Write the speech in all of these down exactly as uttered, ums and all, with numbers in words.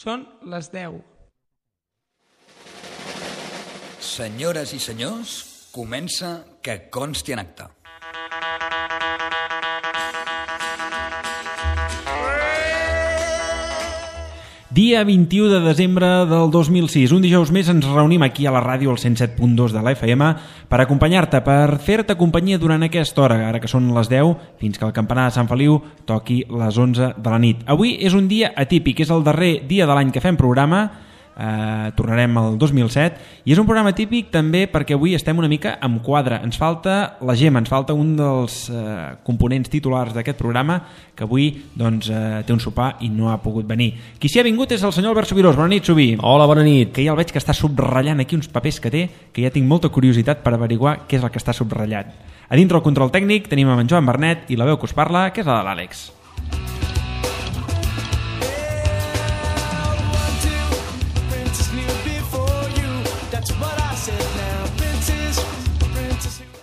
Són les deu. Senyores i senyors, comença Que consti en acta. Dia vint-i-u de desembre del dos mil sis, un dijous més ens reunim aquí a la ràdio al cent set punt dos de la F M per acompanyar-te, per fer-te companyia durant aquesta hora, ara que són les deu, fins que el campanar de Sant Feliu toqui les onze de la nit. Avui és un dia atípic, és el darrer dia de l'any que fem programa, eh, tornarem al dos mil set, i és un programa típic també perquè avui estem una mica amb quadre. Ens falta la Gemma, ens falta un dels eh, components titulars d'aquest programa, que avui doncs, eh, té un sopar i no ha pogut venir. Qui s'hi ha vingut és el senyor Albert Subirós. Bona nit, Subí. Hola, bona nit. Que ja el veig que està subratllant aquí uns papers que té, que ja tinc molta curiositat per averiguar què és el que està subratllat. A dintre el control tècnic tenim en Joan Bernet i la veu que us parla, que és la de l'Àlex.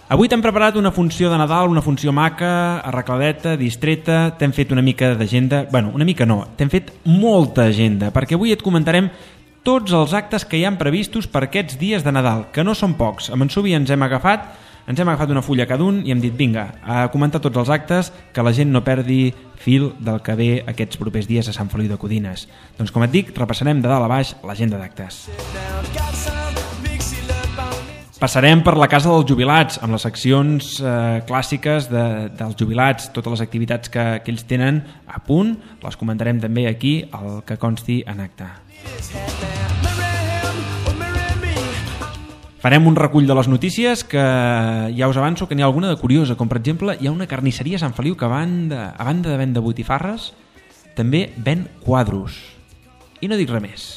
Avui t'hem preparat una funció de Nadal, una funció maca, arregladeta, distreta, t'hem fet una mica d'agenda, bueno, una mica no, t'hem fet molta agenda, perquè avui et comentarem tots els actes que hi han previstos per aquests dies de Nadal, que no són pocs. Amb en Subi ens hem agafat, ens hem agafat una fulla cada un i hem dit, vinga, a comentar tots els actes, que la gent no perdi fil del que ve aquests propers dies a Sant Feliu de Codines. Doncs com et dic, repassarem de dalt a baix l'agenda d'actes. Passarem per la Casa dels Jubilats, amb les seccions eh, clàssiques de, dels jubilats, totes les activitats que, que ells tenen a punt, les comentarem també aquí, el que consti en acte. Farem un recull de les notícies, que ja us avanço que n'hi ha alguna de curiosa, com per exemple hi ha una carnisseria a Sant Feliu que a banda, a banda de vendre botifarres també ven quadros. I no dic res més.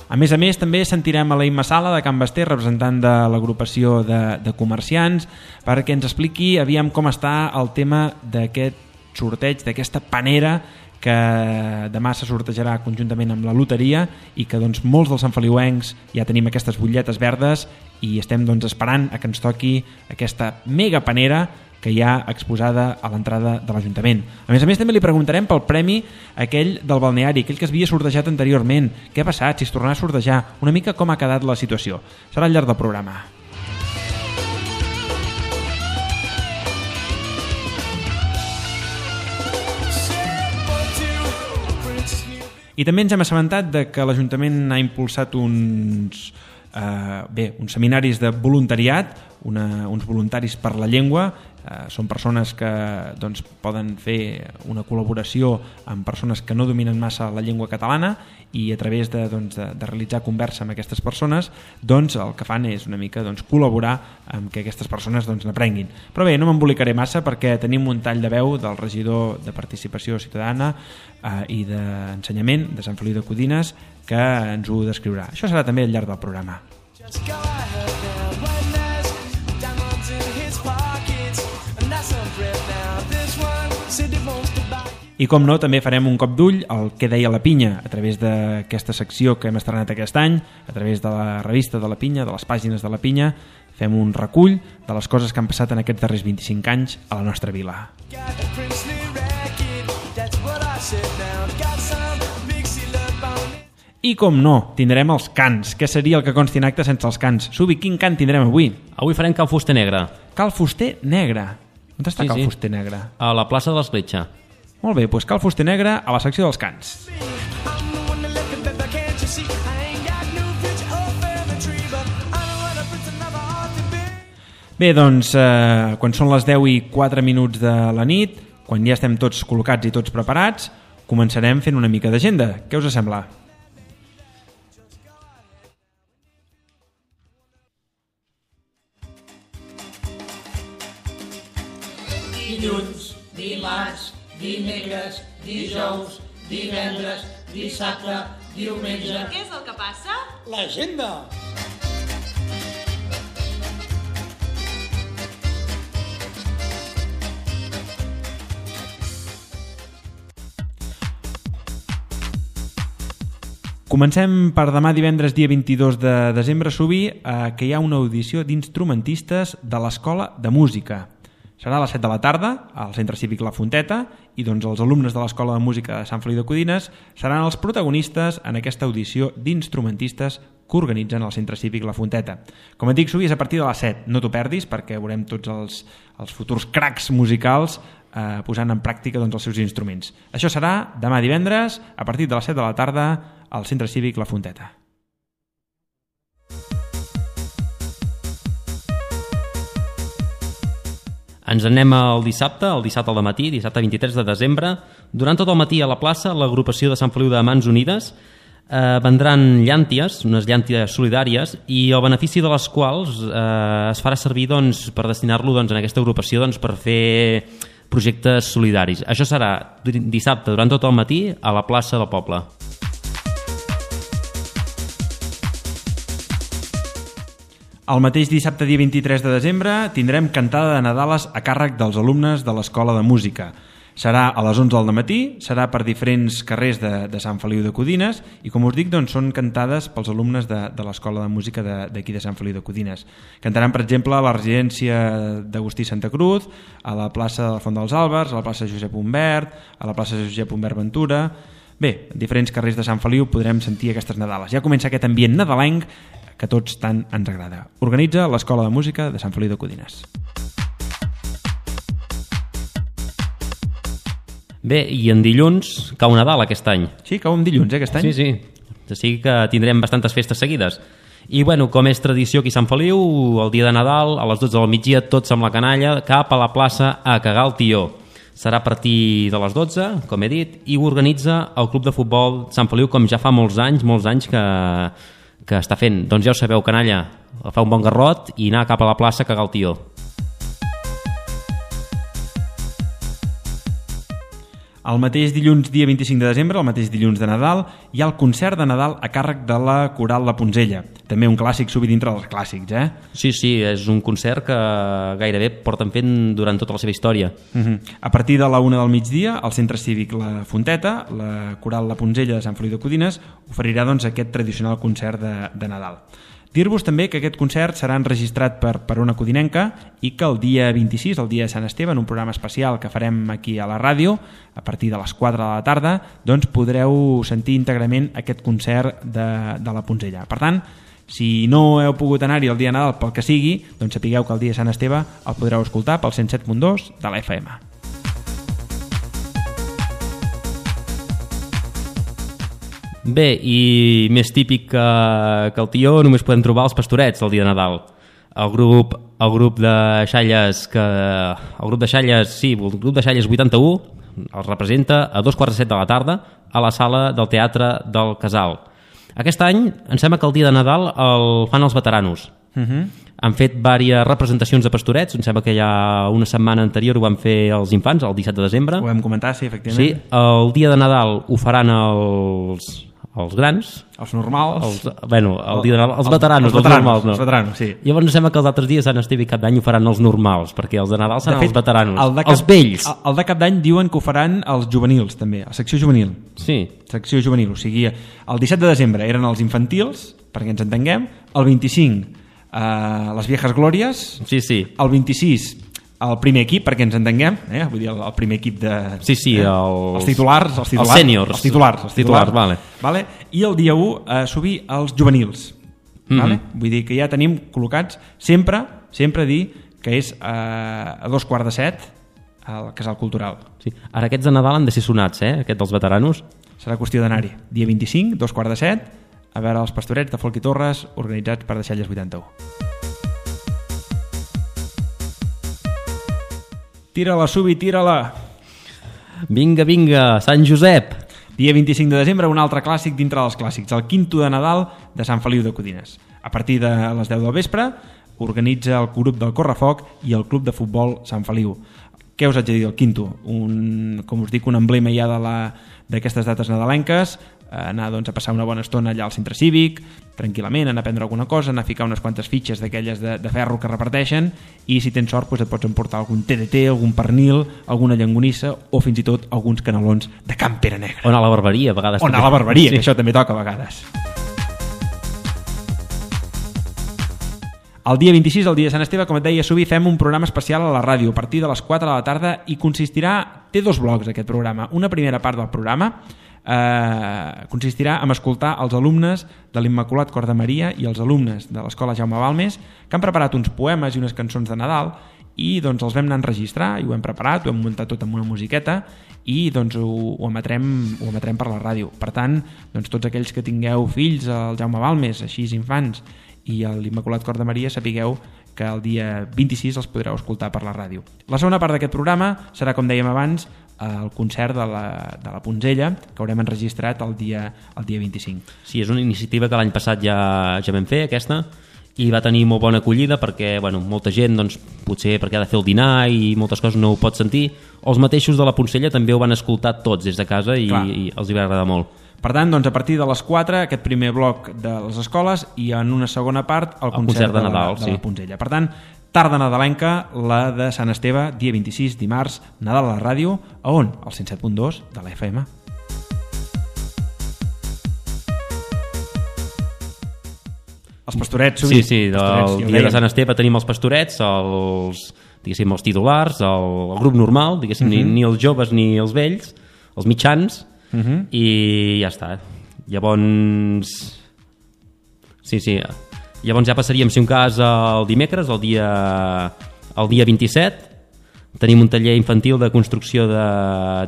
A més a més, també sentirem a la Imma Sala de Can Basté, representant de l'agrupació de, de comerciants, perquè ens expliqui aviam com està el tema d'aquest sorteig, d'aquesta panera que demà se sortejarà conjuntament amb la loteria i que doncs, molts dels santfeliuencs ja tenim aquestes butlletes verdes i estem doncs, esperant a que ens toqui aquesta mega panera que hi ha exposada a l'entrada de l'Ajuntament. A més a més, també li preguntarem pel premi aquell del balneari, aquell que es havia sortejat anteriorment. Què ha passat? Si es tornarà a sortejar? Una mica com ha quedat la situació. Serà al llarg del programa. I també ens hem assabentat de que l'Ajuntament ha impulsat uns, eh, bé, uns seminaris de voluntariat, una, uns voluntaris per la llengua. Uh, són persones que doncs, poden fer una col·laboració amb persones que no dominen massa la llengua catalana i a través de, doncs, de, de realitzar conversa amb aquestes persones doncs, el que fan és una mica doncs, col·laborar amb que aquestes persones doncs, n'aprenguin. Però bé, no m'embolicaré massa perquè tenim un tall de veu del regidor de Participació Ciutadana uh, i d'Ensenyament de Sant Feliu de Codines que ens ho descriurà. Això serà també al llarg del programa. I com no, també farem un cop d'ull al que deia la Pinya a través d'aquesta secció que hem estrenat aquest any, a través de la revista de la Pinya, de les pàgines de la Pinya. Fem un recull de les coses que han passat en aquests darrers vint-i-cinc anys a la nostra vila. I com no, tindrem els cants. Què seria el que consti en acte sense els cants? Subi, quin cant tindrem avui? Avui farem Cal Fuster Negre. Cal Fuster Negre? On està sí, Cal sí. Fuster Negre? A la plaça de l'Escletxa. Molt bé, doncs Cal Fuster Negre a la secció dels cants. Bé, doncs, eh, quan són les deu i quatre minuts de la nit, quan ja estem tots col·locats i tots preparats, començarem fent una mica d'agenda. Què us sembla? Dilluns, dimarts, dimecres, dijous, divendres, dissabte, diumenge... Què és el que passa? L'agenda! Comencem per demà divendres dia vint-i-dos de desembre, Subi, eh, que hi ha una audició d'instrumentistes de l'Escola de Música. Serà a les set de la tarda al Centre Cívic La Fonteta i doncs els alumnes de l'Escola de Música de Sant Feliu de Codines seran els protagonistes en aquesta audició d'instrumentistes que organitzen al Centre Cívic La Fonteta. Com et dic, Subi, és a partir de les set. No t'ho perdis perquè veurem tots els, els futurs cracs musicals eh, posant en pràctica doncs, els seus instruments. Això serà demà divendres a partir de les set de la tarda al Centre Cívic La Fonteta. Ens anem al dissabte, el dissabte al matí, dissabte vint-i-tres de desembre. Durant tot el matí a la plaça, l'agrupació de Sant Feliu de Mans Unides eh, vendran llànties, unes llànties solidàries, i el benefici de les quals eh, es farà servir doncs, per destinar-lo doncs, en aquesta agrupació doncs, per fer projectes solidaris. Això serà dissabte durant tot el matí a la plaça del poble. El mateix dissabte, dia vint-i-tres de desembre, tindrem cantada de Nadales a càrrec dels alumnes de l'Escola de Música. Serà a les onze del matí, serà per diferents carrers de, de Sant Feliu de Codines i, com us dic, doncs, són cantades pels alumnes de, de l'Escola de Música d'aquí de, de Sant Feliu de Codines. Cantaran, per exemple, a la residència d'Agustí Santa Cruz, a la plaça de la Font dels Àlbers, a la plaça Josep Humbert, a la plaça Josep Humbert Ventura... Bé, en diferents carrers de Sant Feliu podrem sentir aquestes Nadales. Ja comença aquest ambient nadalenc que tots tant ens agrada. Organitza l'Escola de Música de Sant Feliu de Codines. Bé, i en dilluns cau Nadal aquest any. Sí, cau en dilluns, eh, aquest any? Sí, sí. O sigui que tindrem bastantes festes seguides. I, bueno, com és tradició aquí a Sant Feliu, el dia de Nadal, a les dotze del migdia, tots amb la canalla, cap a la plaça a cagar el tió. Serà a partir de les dotze, com he dit, i ho organitza el Club de Futbol Sant Feliu, com ja fa molts anys, molts anys que, que està fent. Doncs ja ho sabeu, canalla, fa un bon garrot i anar cap a la plaça a cagar el tió. El mateix dilluns, dia vint-i-cinc de desembre, el mateix dilluns de Nadal, hi ha el concert de Nadal a càrrec de la Coral La Poncella. També un clàssic, Subi, dintre dels clàssics, eh? Sí, sí, és un concert que gairebé porten fent durant tota la seva història. Uh-huh. A partir de la una del migdia, al Centre Cívic La Fonteta, la Coral La Poncella de Sant Feliu de Codines oferirà doncs, aquest tradicional concert de, de Nadal. Dir-vos també que aquest concert serà enregistrat per, per una codinenca i que el dia vint-i-sis, el dia de Sant Esteve, en un programa especial que farem aquí a la ràdio, a partir de les quatre de la tarda, doncs podreu sentir íntegrament aquest concert de, de la Poncella. Per tant, si no heu pogut anar-hi el dia de Nadal pel que sigui, doncs sapigueu que el dia de Sant Esteve el podreu escoltar pel cent set punt dos de la F M. Bé, i més típic que, que el tió, només podem trobar els pastorets el dia de Nadal. El grup, el grup de xalles que, el grup de xalles, sí, el grup de xalles vuitanta-u els representa a dos quarts de set de la tarda a la sala del Teatre del Casal. Aquest any em sembla que el dia de Nadal el fan els veteranos. Uh-huh. Han fet diverses representacions de pastorets, em sembla que ja una setmana anterior ho van fer els infants, el disset de desembre. Ho vam comentar, sí, efectivament. Sí, el dia de Nadal ho faran els, els grans. Els normals. Els, bueno, el dia de Nadal, els, els veteranos, els, els, veteranos, els normals, no. Els veteranos, sí. Llavors em sembla que els altres dies, Sant Esteve i Cap d'Any, ho faran els normals, perquè els de Nadal seran de fet, els veteranos, el de cap, els vells. El, el de Cap d'Any diuen que ho faran els juvenils, també, la secció juvenil. Sí. Secció juvenil, o sigui, el disset de desembre eren els infantils, perquè ens entenguem, el vint-i-cinc Uh, les viejas glòries, sí, sí. El vint-i-sis el primer equip, perquè ens entenguem, eh? Vull dir, el, el primer equip de... Sí, sí, eh? els... els titulars, els titulars, els sèniors, els titulars, els titulars, titulars vale. Vale? I el dia u uh, subir els juvenils, mm-hmm. Vale? Vull dir que ja tenim col·locats sempre, sempre dir que és uh, a dos quarts de set al Casal Cultural. Sí. Ara aquests de Nadal han de ser sonats, eh? Aquests dels veteranos. Serà qüestió d'anar-hi. Dia vint-i-cinc, dos quarts de set, a veure els pastorets de Folk i Torres organitzats per Deixalles vuitanta-u. Tira-la, Subi, tira-la! Vinga, vinga, Sant Josep! Dia vint-i-cinc de desembre, un altre clàssic dintre dels clàssics, el quinto de Nadal de Sant Feliu de Codines. A partir de les deu del vespre organitza el grup del Correfoc i el Club de Futbol Sant Feliu. Què us haig de dir del quinto? Un, com us dic, un emblema ja de la, d'aquestes dates nadalenques, anar doncs, a passar una bona estona allà al centre cívic, tranquil·lament, anar a prendre alguna cosa, anar a ficar unes quantes fitxes d'aquelles de, de ferro que reparteixen, i si tens sort doncs et pots emportar algun T D T, algun pernil, alguna llangonissa o fins i tot alguns canelons de Can Pere Negre. O anar a la barberia, a vegades. O anar a la barberia, sí. Que això també toca a vegades. El dia vint-i-sis, el dia de Sant Esteve, com et deia, Subi, fem un programa especial a la ràdio a partir de les quatre de la tarda i consistirà... Té dos blocs aquest programa. Una primera part del programa eh, consistirà en escoltar els alumnes de l'Immaculat Cor de Maria i els alumnes de l'Escola Jaume Balmes que han preparat uns poemes i unes cançons de Nadal i doncs els vam anar a enregistrar i ho hem preparat, ho hem muntat tot amb una musiqueta i doncs ho, ho, emetrem, ho emetrem per la ràdio. Per tant, doncs, tots aquells que tingueu fills al Jaume Balmes, així infants, i a l'Immaculat Cor de Maria, sapigueu que el dia vint-i-sis els podreu escoltar per la ràdio. La segona part d'aquest programa serà, com dèiem abans, el concert de la, de la Punzella, que haurem enregistrat el dia, el dia vint-i-cinc. Sí, és una iniciativa que l'any passat ja, ja vam fer, aquesta, i va tenir molt bona acollida perquè bueno, molta gent, doncs, potser perquè ha de fer el dinar i moltes coses no ho pot sentir, o els mateixos de la Punzella també ho van escoltar tots des de casa i, i els hi va agradar molt. Per tant, doncs, a partir de les quatre, aquest primer bloc de les escoles i en una segona part el, el concert, concert de, de Nadal, la, de sí. la Punzella. Per tant, tarda nadalenca, la de Sant Esteve, dia vint-i-sis, dimarts, Nadal a la ràdio, a on? Al cent set punt dos de la F M. Els pastorets, sí, sí, del dia de Sant Esteve tenim els pastorets, els, diguéssim, els titulars, el, el grup normal, diguéssim, uh-huh. ni, ni els joves ni els vells, els mitjans, uh-huh. i ja està. Llavors, sí, sí, llavors ja passaríem, si un cas, el dimecres, el dia, el dia vint-i-set, tenim un taller infantil de construcció de,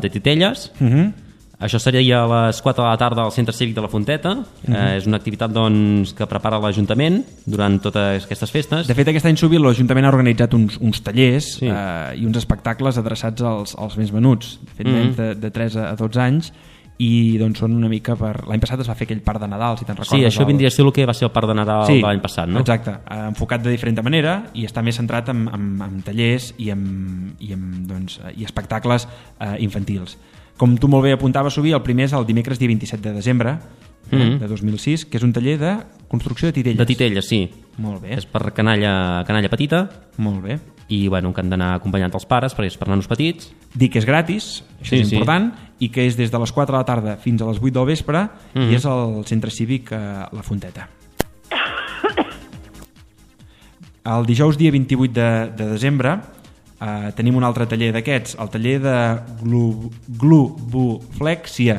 de titelles. Uh-huh. Això seria a les quatre de la tarda al Centre Cívic de la Fonteta. Uh-huh. eh, és una activitat doncs, que prepara l'Ajuntament durant totes aquestes festes. De fet, aquest any Subi l'Ajuntament ha organitzat uns, uns tallers sí. eh, i uns espectacles adreçats als, als més menuts, de fet, uh-huh. nens de, de tres a dotze anys, i doncs són una mica per... L'any passat es va fer aquell parc de Nadal, si te'n recordes. Sí, això el... vindria a ser el que va ser el parc de Nadal sí, de l'any passat, no? Exacte, enfocat de diferent manera i està més centrat en, en, en tallers i en, i en doncs, i espectacles eh, infantils. Com tu molt bé apuntaves, Subi, el primer és el dimecres dia vint-i-set de desembre mm-hmm. de dos mil sis, que és un taller de construcció de titelles. De titelles, sí. Molt bé. És per canalla, canalla petita. Molt bé. I bueno, que han d'anar acompanyant els pares, perquè és per nanos petits. Dic que és gratis, això sí, és important, sí. i que és des de les quatre de la tarda fins a les vuit del vespre, mm-hmm. i és al Centre Cívic a La Fonteta. El dijous dia vint-i-vuit de, de desembre Uh, tenim un altre taller d'aquests, el taller de glu, globuflexia.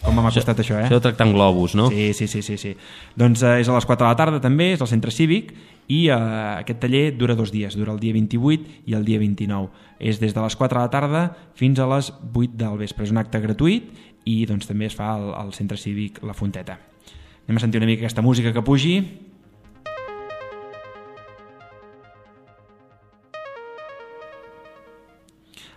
Com m'ha costat això, eh? Això de tractar amb globus, no? Sí, sí, sí, sí, sí. Doncs uh, és a les quatre de la tarda també, és al Centre Cívic i uh, aquest taller dura dos dies, dura el dia vint-i-vuit i el dia vint-i-nou. És des de les quatre de la tarda fins a les vuit del vespre. És un acte gratuït i doncs també es fa al, al Centre Cívic La Fonteta. Anem a sentir una mica aquesta música que pugi.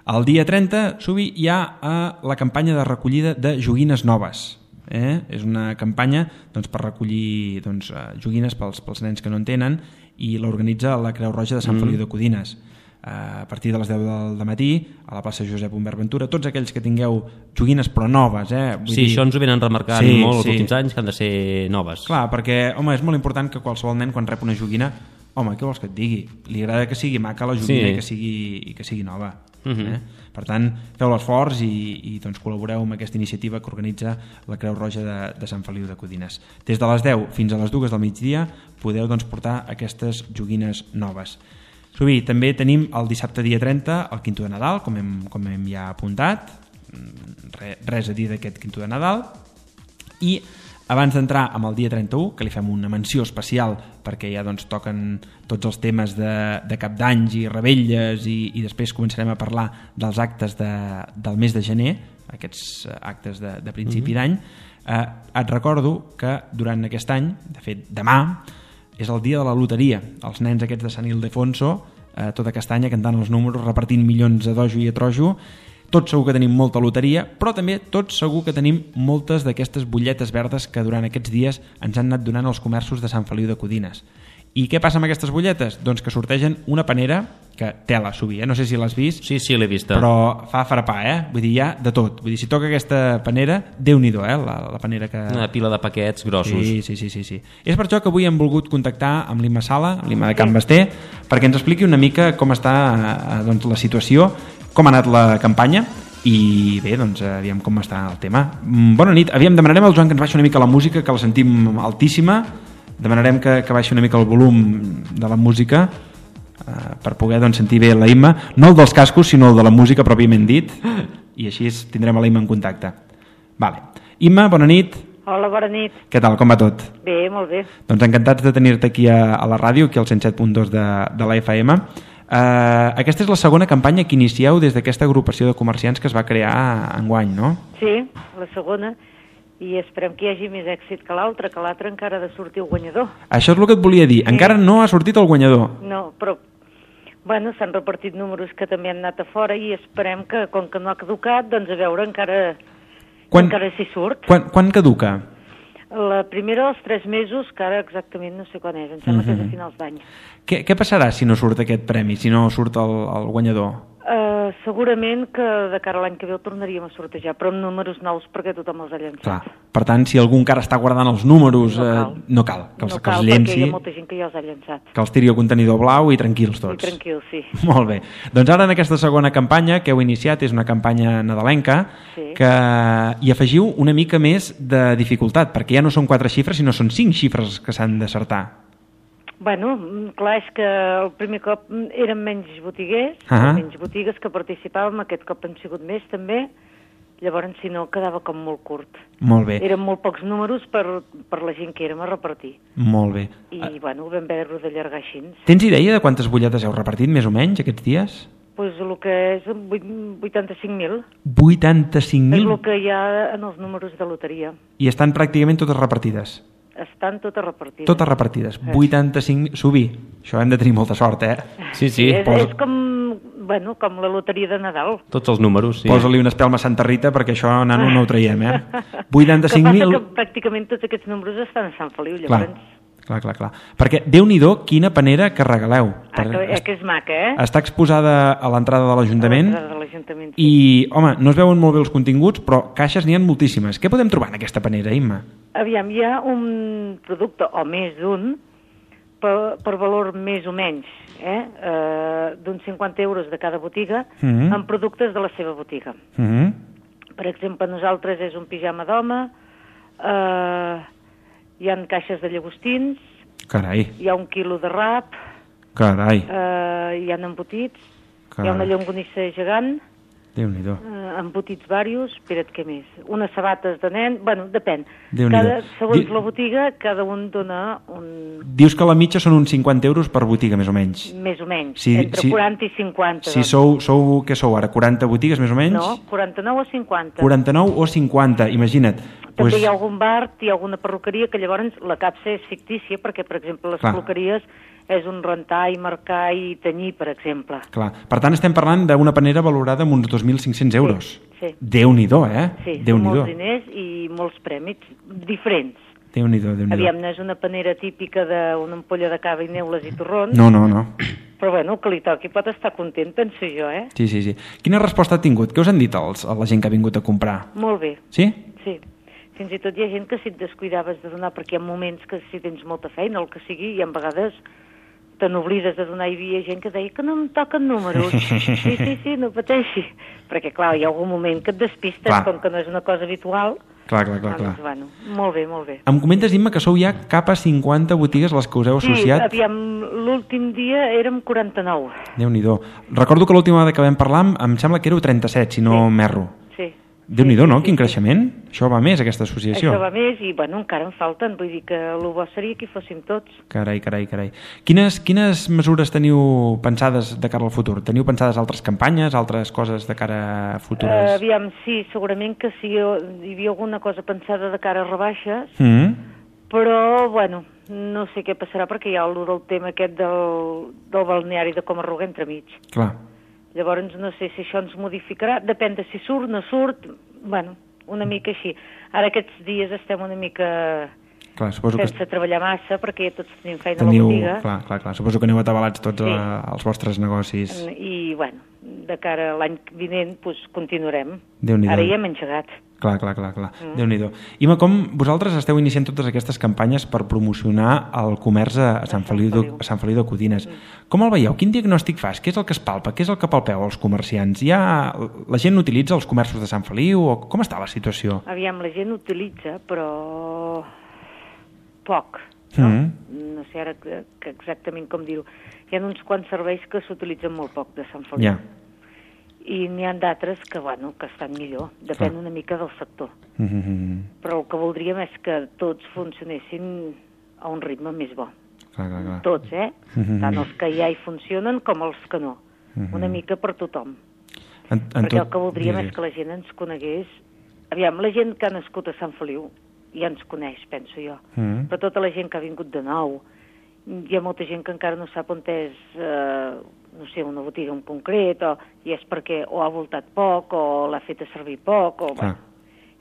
El dia trenta, Subi, hi ha a la campanya de recollida de joguines noves. Eh? És una campanya doncs, per recollir doncs, joguines pels, pels nens que no en tenen i l'organitza la Creu Roja de Sant mm. Feliu de Codines. A partir de les deu del matí a la plaça Josep Humbert Ventura, tots aquells que tingueu joguines però noves, eh? Vull sí, dir... això ens ho venen remarcant sí, molt els sí. últims anys, que han de ser noves. Clar, perquè home, és molt important que qualsevol nen quan rep una joguina, home, què vols que et digui? Li agrada que sigui maca la joguina sí. i, que sigui, i que sigui nova. Uh-huh. Eh? Per tant, feu l'esforç i, i doncs, col·laboreu amb aquesta iniciativa que organitza la Creu Roja de, de Sant Feliu de Codines. Des de les deu fins a les dues del migdia podeu doncs, portar aquestes joguines noves. Subi, també tenim el dissabte dia trenta el Quinto de Nadal, com hem, com hem ja apuntat. Re, res a dir d'aquest Quinto de Nadal. I abans d'entrar amb el dia trenta-u, que li fem una menció especial perquè ja doncs, toquen tots els temes de, de cap d'anys i rebelles i, i després començarem a parlar dels actes de, del mes de gener, aquests actes de, de principi mm-hmm. d'any, eh, et recordo que durant aquest any, de fet demà, és el dia de la loteria. Els nens aquests de Sant Ildefonso, eh, tot aquest any cantant els números, repartint milions a dojo i a trojo. Tots segur que tenim molta loteria, però també tots segur que tenim moltes d'aquestes butlletes verdes que durant aquests dies ens han anat donant els comerços de Sant Feliu de Codines. I què passa amb aquestes butlletes? Doncs que sortegen una panera que tela, Subi, eh? No sé si l'has vist. Sí, sí, l'he vista. Però fa farapar, eh? Vull dir, hi ha de tot. Vull dir, si toca aquesta panera, Déu-n'hi-do, eh? La, la panera que... Una pila de paquets grossos. Sí, sí, sí, sí, sí. És per això que avui hem volgut contactar amb l'Imma Sala, amb l'Imma de Can Basté, perquè ens expliqui una mica com està doncs, la situació, com ha anat la campanya, i bé, doncs aviam com està el tema. Bona nit, aviam, demanarem al Joan que ens baixi una mica la música, que la sentim altíssima. demanarem que, que baixi una mica el volum de la música eh, per poder doncs, sentir bé la Imma, no el dels cascos sinó el de la música pròpiament dit, i així tindrem a la Imma en contacte. Vale. Imma, bona nit. Hola, bona nit. Què tal, com va tot? Bé, molt bé. Doncs encantats de tenir-te aquí a, a la ràdio, aquí al cent set punt dos de, de la F M. Uh, aquesta és la segona campanya que inicieu des d'aquesta agrupació de comerciants que es va crear enguany, no? Sí, la segona, i esperem que hi hagi més èxit que l'altra, que l'altre encara ha de sortir el guanyador. Això és el que et volia dir, sí. Encara no ha sortit el guanyador. No, però, bueno, s'han repartit números que també han anat a fora i esperem que, com que no ha caducat, doncs a veure encara, quan, encara s'hi surt. Quan, quan caduca? La primera dels tres mesos, que ara exactament no sé quan és, em sembla uh-huh. que és a finals d'any. Què, què passarà si no surt aquest premi, si no surt el, el guanyador? Uh, segurament que de cara a l'any que ve el tornaríem a sortejar, però amb números nous perquè tothom els ha llançat. Clar. Per tant, si algú encara està guardant els números, no cal, eh, no cal que els, no que els cal llenci, perquè hi ha molta gent que ja els ha llançat. Que els tiri al contenidor blau i tranquils tots. I tranquils, sí. Molt bé. Doncs ara en aquesta segona campanya que heu iniciat, és una campanya nadalenca, sí. que hi afegiu una mica més de dificultat, perquè ja no són quatre xifres, sinó són cinc xifres que s'han d'acertar. Bueno, clar, és que el primer cop eren menys botiguers, uh-huh. menys botigues que participàvem, aquest cop han sigut més també, llavors si no quedava com molt curt. Molt bé. Eren molt pocs números per, per la gent que érem a repartir. Molt bé. I uh... bueno, ho vam haver d'allargar així. Tens idea de quantes butlletes heu repartit més o menys aquests dies? Doncs pues el que és vuitanta-cinc mil. vuitanta-cinc mil? És el que hi ha en els números de loteria. I estan pràcticament totes repartides? Estan totes repartides. Totes repartides. Eh. vuitanta-cinc... Subí. Això hem de tenir molta sort, eh? Sí, sí. És, Posa... és com, bueno, com la loteria de Nadal. Tots els números, sí. Posa-li una espelma a Santa Rita perquè això, nano, no ho traiem, eh? vuitanta-cinc mil... Que passa que pràcticament tots aquests números estan a Sant Feliu, llavors... Clar. Clar, clar, clar. Perquè, Déu-n'hi-do, quina panera que regaleu. Ah, que, eh, que és maca, eh? Està exposada a l'entrada de l'Ajuntament. A l'entrada de l'Ajuntament, sí. I, home, no es veuen molt bé els continguts, però caixes n'hi ha moltíssimes. Què podem trobar en aquesta panera, Imma? Aviam, hi ha un producte, o més d'un, per, per valor més o menys, eh? eh d'uns cinquanta euros de cada botiga, mm-hmm. amb productes de la seva botiga. Mm-hmm. Per exemple, nosaltres és un pijama d'home, eh... hi ha caixes de llagostins, Carai. Hi ha un quilo de rap, Carai. Eh, hi ha embotits, Carai. hi ha una llonganissa gegant, Déu-n'hi-do. Eh, embotits varios, espera't, què més? Unes sabates de nen, bueno, depèn. Déu-n'hi-do. Cada, segons Di... la botiga, cada un dona un... Dius que la mitja són uns cinquanta euros per botiga, més o menys. Més o menys, si, entre si, quaranta i cinquanta. Si doncs. sou, sou, què sou ara, quaranta botigues, més o menys? No, quaranta-nou o cinquanta. quaranta-nou o cinquanta, imagina't. També pues... hi ha algun bar, hi ha alguna perruqueria, que llavors la capsa és fictícia, perquè, per exemple, les Clar. perruqueries és un rentar i marcar i tenyir, per exemple. Clar. Per tant, estem parlant d'una panera valorada amb uns dos mil cinc-cents euros. Sí, sí. Déu-n'hi-do, eh? Sí, Déu són molts diners i molts prèmits diferents. Déu-n'hi-do, Déu-n'hi-do. Aviam, no és una panera típica d'una ampolla de cava i neules i torrons. No, no, no. Però bueno, que li toqui pot estar content, penso jo, eh? Sí, sí, sí. Quina resposta ha tingut? Què us han dit els, a la gent que ha vingut a comprar? Molt bé. Sí? Sí. Fins i tot hi ha gent que si et descuidaves de donar, perquè hi ha moments que si tens molta feina, el que sigui, i a vegades te n'oblides de donar, hi havia gent que deia que no em toquen números. Sí, sí, sí, no pateixi. Perquè, clar, hi ha algun moment que et despistes, clar. Com que no és una cosa habitual. Clar, clar, clar. Doncs, clar. Bueno, molt bé, molt bé. Em comentes, Imma, que sou ja cap a cinquanta botigues les que us heu associat? Sí, aviam, l'últim dia érem quaranta-nou. Déu-n'hi-do. Recordo que l'última vegada que vam parlar em sembla que éreu trenta-set, si no sí. m'erro. Sí. Déu-n'hi-do, sí, no? Sí, Quin sí. creixement? Això va més, aquesta associació. Això va més i, bueno, encara en falten. Vull dir que el bo seria que hi fóssim tots. Carai, carai, carai. Quines, quines mesures teniu pensades de cara al futur? Teniu pensades altres campanyes, altres coses de cara a futures? Uh, aviam, sí, segurament que sí, hi havia alguna cosa pensada de cara a rebaixes, mm. però, bueno, no sé què passarà perquè hi ha el del tema aquest del, del balneari de Coma-ruga entremig. Clar. Llavors no sé si això ens modificarà, depèn de si surt, no surt, bueno, una mica així. Ara aquests dies estem una mica clar, suposo sense que... treballar massa perquè ja tots tenim feina Teniu... a la botiga. Clar, clar, clar. Suposo que aneu atabalats tots sí. a, als vostres negocis. I, bueno, de cara a l'any vinent, doncs, continuarem. Déu-n'hi-do. Ara ja hem engegat. Clar, clar, clar, clar. Mm. Déu-n'hi-do. Imma, com vosaltres esteu iniciant totes aquestes campanyes per promocionar el comerç a, a, Sant, Feliu de, a Sant Feliu de Codines? Mm. Com el veieu? Quin diagnòstic fas? Què és el que es palpa? Què és el que palpeu als comerciants? Ja la gent utilitza els comerços de Sant Feliu? O com està la situació? Aviam, la gent utilitza, però poc. No? Mm. no sé ara que, que exactament com dir-ho, hi ha uns quants serveis que s'utilitzen molt poc de Sant Feliu. Ja. I n'hi ha d'altres que, bueno, que estan millor. Depèn una mica del sector. Mm-hmm. Però el que voldríem és que tots funcionessin a un ritme més bo. Clar, clar, clar. Tots, eh? Mm-hmm. Tant els que ja hi funcionen com els que no. Mm-hmm. Una mica per tothom. En, en Perquè tot... el que voldríem sí, sí. és que la gent ens conegués. Aviam, la gent que ha nascut a Sant Feliu ja ens coneix, penso jo. Mm-hmm. Però tota la gent que ha vingut de nou, hi ha molta gent que encara no sap on és, eh, no sé, una botiga en concret, o, i és perquè o ha voltat poc, o l'ha fet a servir poc, o... Bueno,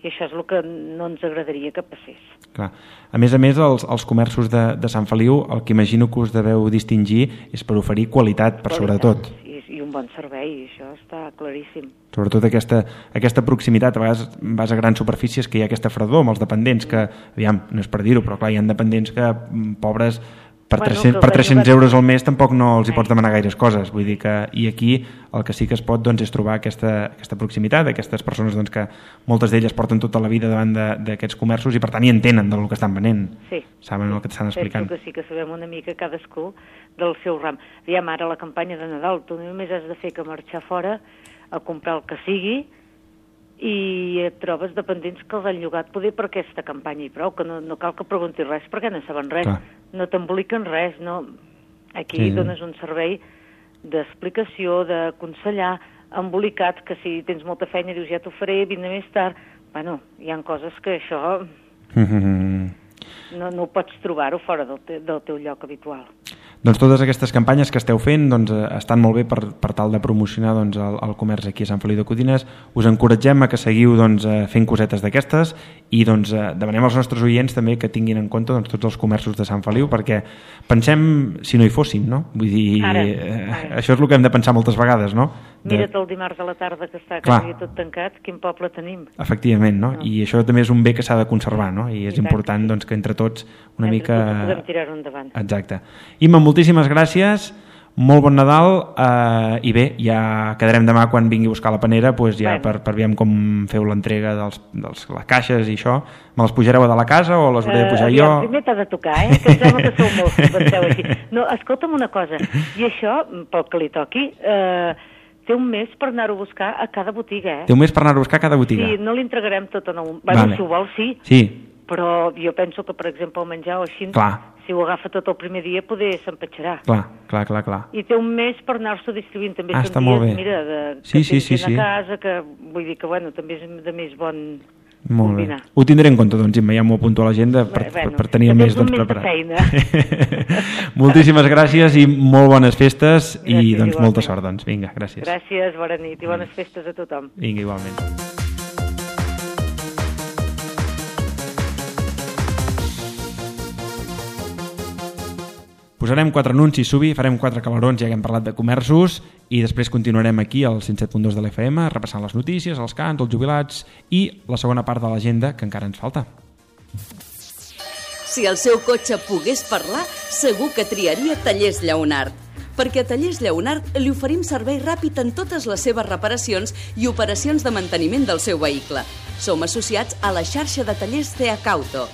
i això és el que no ens agradaria que passés. Clar. A més a més, els, els comerços de, de Sant Feliu, el que imagino que us deveu distingir és per oferir qualitat, per qualitat, sobretot. I, I un bon servei, això està claríssim. Sobretot aquesta, aquesta proximitat. A vegades vas a grans superfícies que hi ha aquesta fredor amb els dependents, que, aviam, no és per dir-ho, però clar, hi ha dependents que, pobres, per, Bueno, tres cents, que per els tres-cents ajuden. euros al mes tampoc no els hi pots demanar gaires coses. Vull dir que, i aquí el que sí que es pot doncs, és trobar aquesta, aquesta proximitat, aquestes persones doncs, que moltes d'elles porten tota la vida davant d'aquests comerços i per tant hi entenen del que estan venent. Sí. Saben el que t'estan explicant. Penso que sí que sabem una mica cadascú del seu ram. Aviam, ara la campanya de Nadal, tu només has de fer que marxar fora a comprar el que sigui i et trobes dependents que els han llogat poder per aquesta campanya i prou, que no, no cal que preguntis res perquè no saben res, Clar. no t'emboliquen res, no. Aquí Sí. dones un servei d'explicació, d'aconsellar, embolicat, que si tens molta feina dius ja t'ho faré, vine més tard. Bueno, hi ha coses que això no, no ho pots trobar-ho fora del, te, del teu lloc habitual. Doncs totes aquestes campanyes que esteu fent doncs, estan molt bé per, per tal de promocionar doncs, el, el comerç aquí a Sant Feliu de Codines. Us encoratgem a que seguiu doncs, fent cosetes d'aquestes i doncs, demanem als nostres oients també que tinguin en compte doncs, tots els comerços de Sant Feliu, perquè pensem si no hi fóssim, no? Vull dir, Ara, eh, ara. això és el que hem de pensar moltes vegades, no? De... Mira't el dimarts a la tarda que està Clar. quasi tot tancat, quin poble tenim. Efectivament, no? No. I això també és un bé que s'ha de conservar, no? I és I tant important que sí. doncs, que entre tots una Entre mica... tots podem tirar-ho endavant. Exacte. Imma, moltíssimes gràcies, molt bon Nadal eh, i bé, ja quedarem demà quan vingui a buscar la panera doncs ja Bueno. per, per veure com feu l'entrega dels, dels, les caixes i això. Me les pujareu a de la casa o les hauré de pujar Eh, jo? aviam, primer t'ha de tocar, eh? Que em sembla que sou molts que penseu així. No, escolta'm una cosa, i això, pel que li toqui, eh, té un mes per anar-ho a buscar a cada botiga, eh? Té un mes per anar a buscar cada botiga? Sí, no li entregarem tot en un... Bueno, Vale. si ho vol, sí. Sí, Però jo penso que, per exemple, el menjar o així, Clar. si ho agafa tot el primer dia, poder s'empatxarà. clar, clar, clar, clar. I té un mes per anar-s'ho distribuint. També Ah, són està dies, molt bé. mira, de, Sí, que sí, tens sí, gent sí. a casa, que vull dir que, bueno, també és de més bon Molt bé. combinar. Ho tindré en compte, doncs, Imma, ja m'ho apunto a l'agenda per, per, Bueno, per tenir el que mes tens un doncs, mes de preparat. Moltíssimes gràcies i molt bones festes i Gràcies, doncs molta igualment. sort, doncs. Vinga, gràcies. Gràcies, bona nit i bones festes a tothom. Vinga, igualment. Posarem quatre anuncis, Subi, farem quatre calarons, ja que hem parlat de comerços, i després continuarem aquí al cent set punt dos de l'F M, repassant les notícies, els cants, els jubilats i la segona part de l'agenda, que encara ens falta. Si el seu cotxe pogués parlar, segur que triaria Tallers Lleonart. Perquè a Tallers Lleonart li oferim servei ràpid en totes les seves reparacions i operacions de manteniment del seu vehicle. Som associats a la xarxa de tallers C H Auto.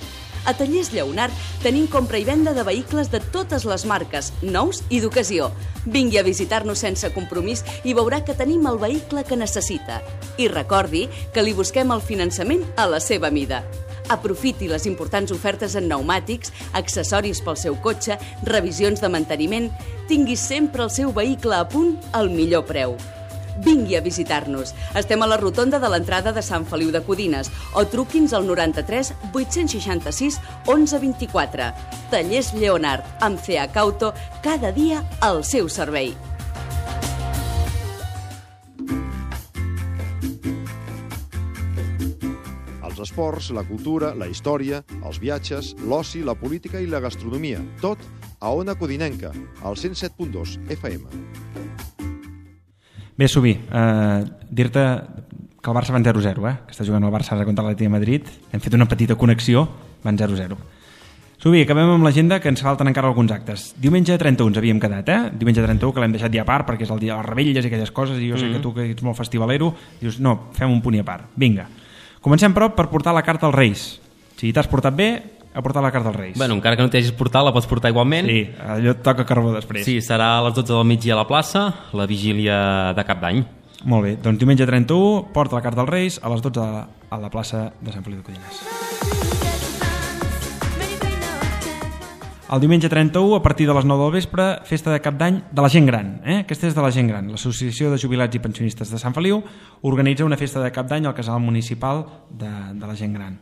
A Tallers Lleonart tenim compra i venda de vehicles de totes les marques, nous i d'ocasió. Vingui a visitar-nos sense compromís i veurà que tenim el vehicle que necessita. I recordi que li busquem el finançament a la seva mida. Aprofiti les importants ofertes en pneumàtics, accessoris pel seu cotxe, revisions de manteniment. Tingui sempre el seu vehicle a punt al millor preu. Vingui a visitar-nos. Estem a la rotonda de l'entrada de Sant Feliu de Codines o truqui'ns al noranta-tres vuit-cents seixanta-sis onze vint-i-quatre. Tallers Lleonart, amb C H Auto, cada dia al seu servei. Els esports, la cultura, la història, els viatges, l'oci, la política i la gastronomia. Tot a Ona Codinenca, al cent set punt dos F M. Bé, Subi, eh, dir-te que el Barça van zero zero, eh? que està jugant el Barça ara contra l'Atlètic de Madrid. Hem fet una petita connexió, van zero zero. Subi, acabem amb l'agenda, que ens falten encara alguns actes. Diumenge trenta-u ens havíem quedat, eh? Diumenge trenta-u, que l'hem deixat ja a part, perquè és el dia de les rebelles i aquelles coses, i jo sé Mm-hmm. que tu, que ets molt festivalero, dius, no, fem un punt i a part. Vinga. Comencem, però, per portar la carta als Reis. Si t'has portat bé, a portar la carn dels Reis. Bueno, encara que no t'hagis portat, la pots portar igualment. Sí, allò et toca carbó després. Sí, serà a les dotze del migdia a la plaça, la vigília de Cap d'Any. Molt bé, doncs diumenge trenta-u porta la carn dels Reis a les dotze a la plaça de Sant Feliu de Codines. El diumenge trenta-u, a partir de les nou del vespre, festa de Cap d'Any de la gent gran. Eh? Aquesta és de la gent gran. L'Associació de Jubilats i Pensionistes de Sant Feliu organitza una festa de Cap d'Any al casal municipal de, de la gent gran.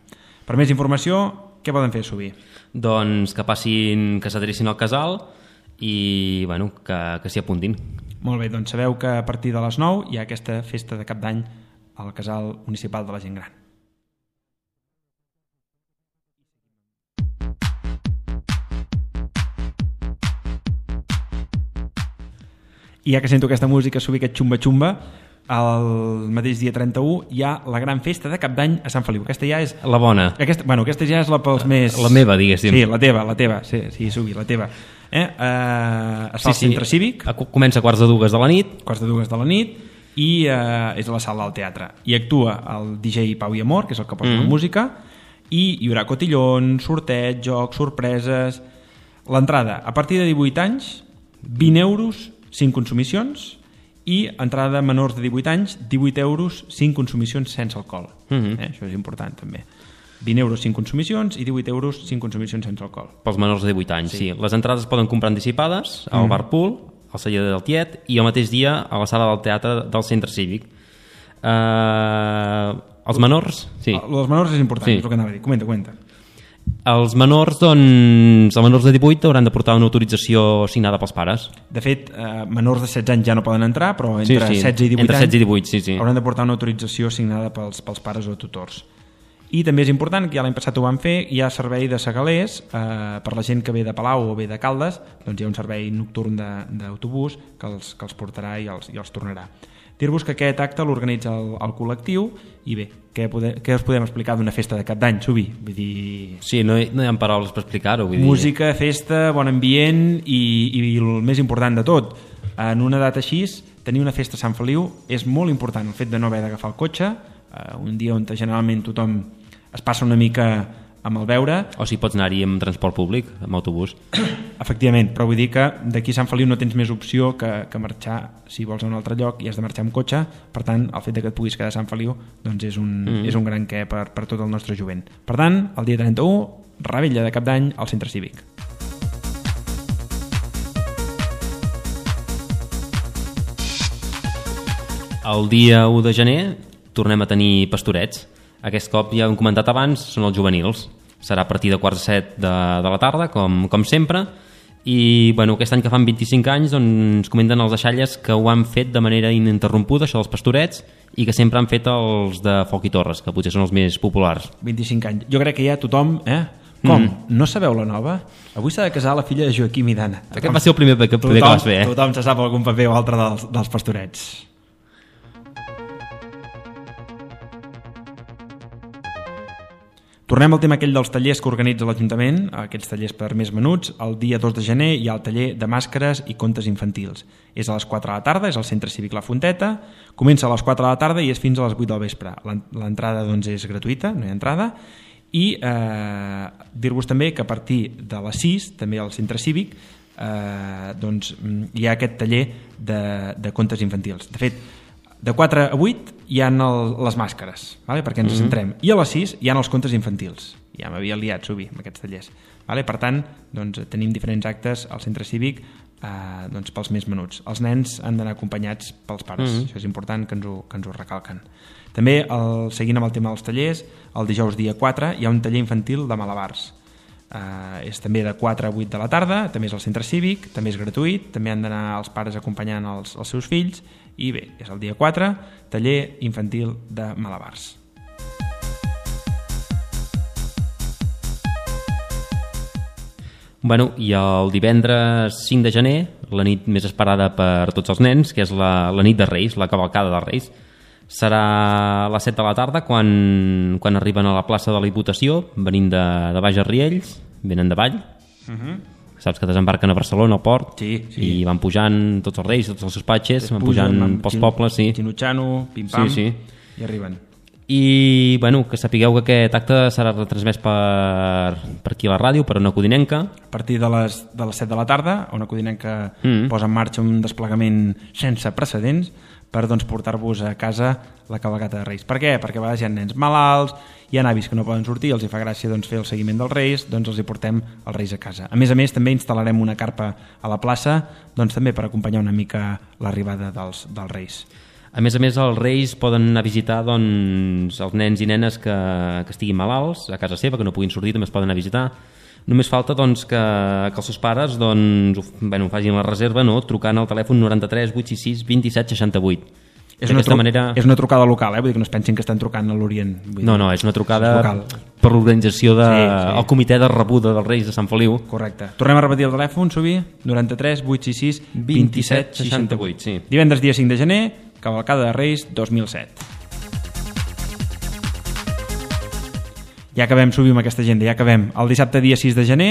Per més informació, què poden fer, Subí? Doncs que passin, que s'adrecin al casal i bueno, que, que s'hi apuntin. Molt bé, doncs sabeu que a partir de les nou hi ha aquesta festa de Cap d'Any al casal municipal de la gent gran. I ja que sento aquesta música, Subí, aquest xumba-xumba, el mateix dia trenta-u hi ha la gran festa de Cap d'Any a Sant Feliu. Aquesta ja és... La bona. Aquesta, bueno, aquesta ja és la pels més... La meva, diguéssim. Sí, la teva, la teva. Sí, sí, Subí, la teva. Eh? Uh, es fa sí, al centre sí. cívic. Comença a quarts de dues de la nit. Quarts de dues de la nit. I uh, és a la sala del teatre. I actua el D J Pau i Amor, que és el que posa mm. la música, i hi haurà cotillons, sorteig, jocs, sorpreses... L'entrada, a partir de divuit anys, vint euros, cinc consumicions, i entrada menors de divuit anys, divuit euros, cinc consumicions sense alcohol. Mm-hmm. eh? Això és important també. vint euros, cinc consumicions, i divuit euros, cinc consumicions sense alcohol. Pels menors de divuit anys, sí. sí. Les entrades es poden comprar anticipades al mm. bar Pool, al celler del Tiet, i el mateix dia a la sala del teatre del centre cívic. Uh, els menors... Sí. Els menors és important, sí. És el que anava a dir. Comenta, comenta. Els menors, doncs, els menors de divuit hauran de portar una autorització signada pels pares. De fet, eh, menors de setze anys ja no poden entrar, però entre sí, sí. setze i divuit entre anys setze i divuit, sí, sí. hauran de portar una autorització signada pels, pels pares o tutors. I també és important, que ja l'any passat ho van fer, hi ha servei de segalers eh, per la gent que ve de Palau o ve de Caldes, doncs hi ha un servei nocturn d'autobús que els, que els portarà i els, i els tornarà. Dir-vos que aquest acte l'organitza el, el col·lectiu i bé, què, pode, què us podem explicar d'una festa de Cap d'Any, Subí? Vull dir... Sí, no hi, no hi ha paraules per explicar-ho. Vull música, dir... festa, bon ambient i, i el més important de tot, en una data així, tenir una festa a Sant Feliu és molt important, el fet de no haver d'agafar el cotxe, eh, un dia on generalment tothom es passa una mica amb el veure. O si pots anar-hi amb transport públic, amb autobús. Efectivament, però vull dir que d'aquí a Sant Feliu no tens més opció que, que marxar, si vols a un altre lloc i has de marxar amb cotxe, per tant el fet de que et puguis quedar a Sant Feliu doncs és un, mm. és un gran què per, per tot el nostre jovent. Per tant, el dia trenta-u, revetlla de Cap d'Any al centre cívic. El dia u de gener tornem a tenir pastorets. Aquest cop, ja hem comentat abans, són els juvenils. Serà a partir de quarts de set de, de la tarda, com, com sempre. I bueno, aquest any que fan vint-i-cinc anys doncs, ens comenten els deixalles que ho han fet de manera ininterrompuda, això dels pastorets, i que sempre han fet els de Foc i Torres, que potser són els més populars. vint-i-cinc anys. Jo crec que ja tothom... Eh? Com? Mm. No sabeu la nova? Avui s'ha de casar la filla de Joaquim i d'Anna. Aquest va ser el primer que, tothom, que vas fer, eh? Tothom se sap algun paper o altre dels, dels pastorets. Tornem al tema aquell dels tallers que organitza l'Ajuntament, aquests tallers per més menuts. El dia dos de gener hi ha el taller de màscares i contes infantils. És a les quatre de la tarda, és al Centre Cívic La Fonteta, comença a les quatre de la tarda i és fins a les vuit del vespre. L'entrada doncs, és gratuïta, no hi ha entrada, i eh, dir-vos també que a partir de les sis, també al Centre Cívic, eh, doncs, hi ha aquest taller de, de contes infantils. De fet, de quatre a vuit hi ha el, les màscares, vale? Perquè ens mm-hmm. centrem. I a les sis hi ha els contes infantils. Ja m'havia liat, Subí, amb aquests tallers. Vale? Per tant, doncs, tenim diferents actes al centre cívic eh, doncs, pels més menuts. Els nens han d'anar acompanyats pels pares. Mm-hmm. Això és important que ens ho, que ens ho recalquen. També, el, seguint amb el tema dels tallers, el dijous dia quatre hi ha un taller infantil de malabars. Eh, és també de quatre a vuit de la tarda, també és al centre cívic, també és gratuït, també han d'anar els pares acompanyant els, els seus fills. I bé, és el dia quatre, taller infantil de malabars. Bueno, i el divendres cinc de gener, la nit més esperada per tots els nens, que és la, la nit de Reis, la cavalcada de Reis, serà a les set de la tarda quan, quan arriben a la plaça de la Diputació, venint de, de Baix a Riells, venen de Vall. Uh-huh. Saps que desembarquen a Barcelona, al port, sí, sí. I van pujant tots els reis, tots els seus patxes, van pujant van, pels pobles, sí. Xinutxano, pim-pam, sí, sí. I arriben. I bueno, que sapigueu que aquest acte serà retransmès per, per aquí a la ràdio, per Ona Codinenca. A partir de les, de les set de la tarda, Ona Codinenca Mm. posa en marxa un desplegament sense precedents per doncs, portar-vos a casa la cavalcata de Reis. Per què? Perquè a vegades hi ha nens malalts, hi ha avis que no poden sortir, els hi fa gràcia doncs, fer el seguiment dels Reis, doncs els hi portem els Reis a casa. A més a més, també instal·larem una carpa a la plaça doncs, també per acompanyar una mica l'arribada dels, dels Reis. A més a més, els Reis poden anar a visitar doncs, els nens i nenes que, que estiguin malalts a casa seva, que no puguin sortir, també es poden anar a visitar. Només falta doncs, que, que els seus pares doncs, bueno, facin la reserva no? Trucant al telèfon noranta-tres vuit sis sis vint-i-set seixanta-vuit. És una, tru manera... és una trucada local, eh? Vull dir que no es pensin que estan trucant a l'Orient. No, no, és una trucada és per l'organització del de... sí, sí. comitè de rebuda dels Reis de Sant Feliu. Correcte. Tornem a repetir el telèfon, Subi, noranta-tres vuit sis sis vint-i-set seixanta-vuit. Sí. Divendres dia cinc de gener, cavalcada de Reis dos mil set. Ja acabem, Subi, amb aquesta agenda, ja acabem. El dissabte dia sis de gener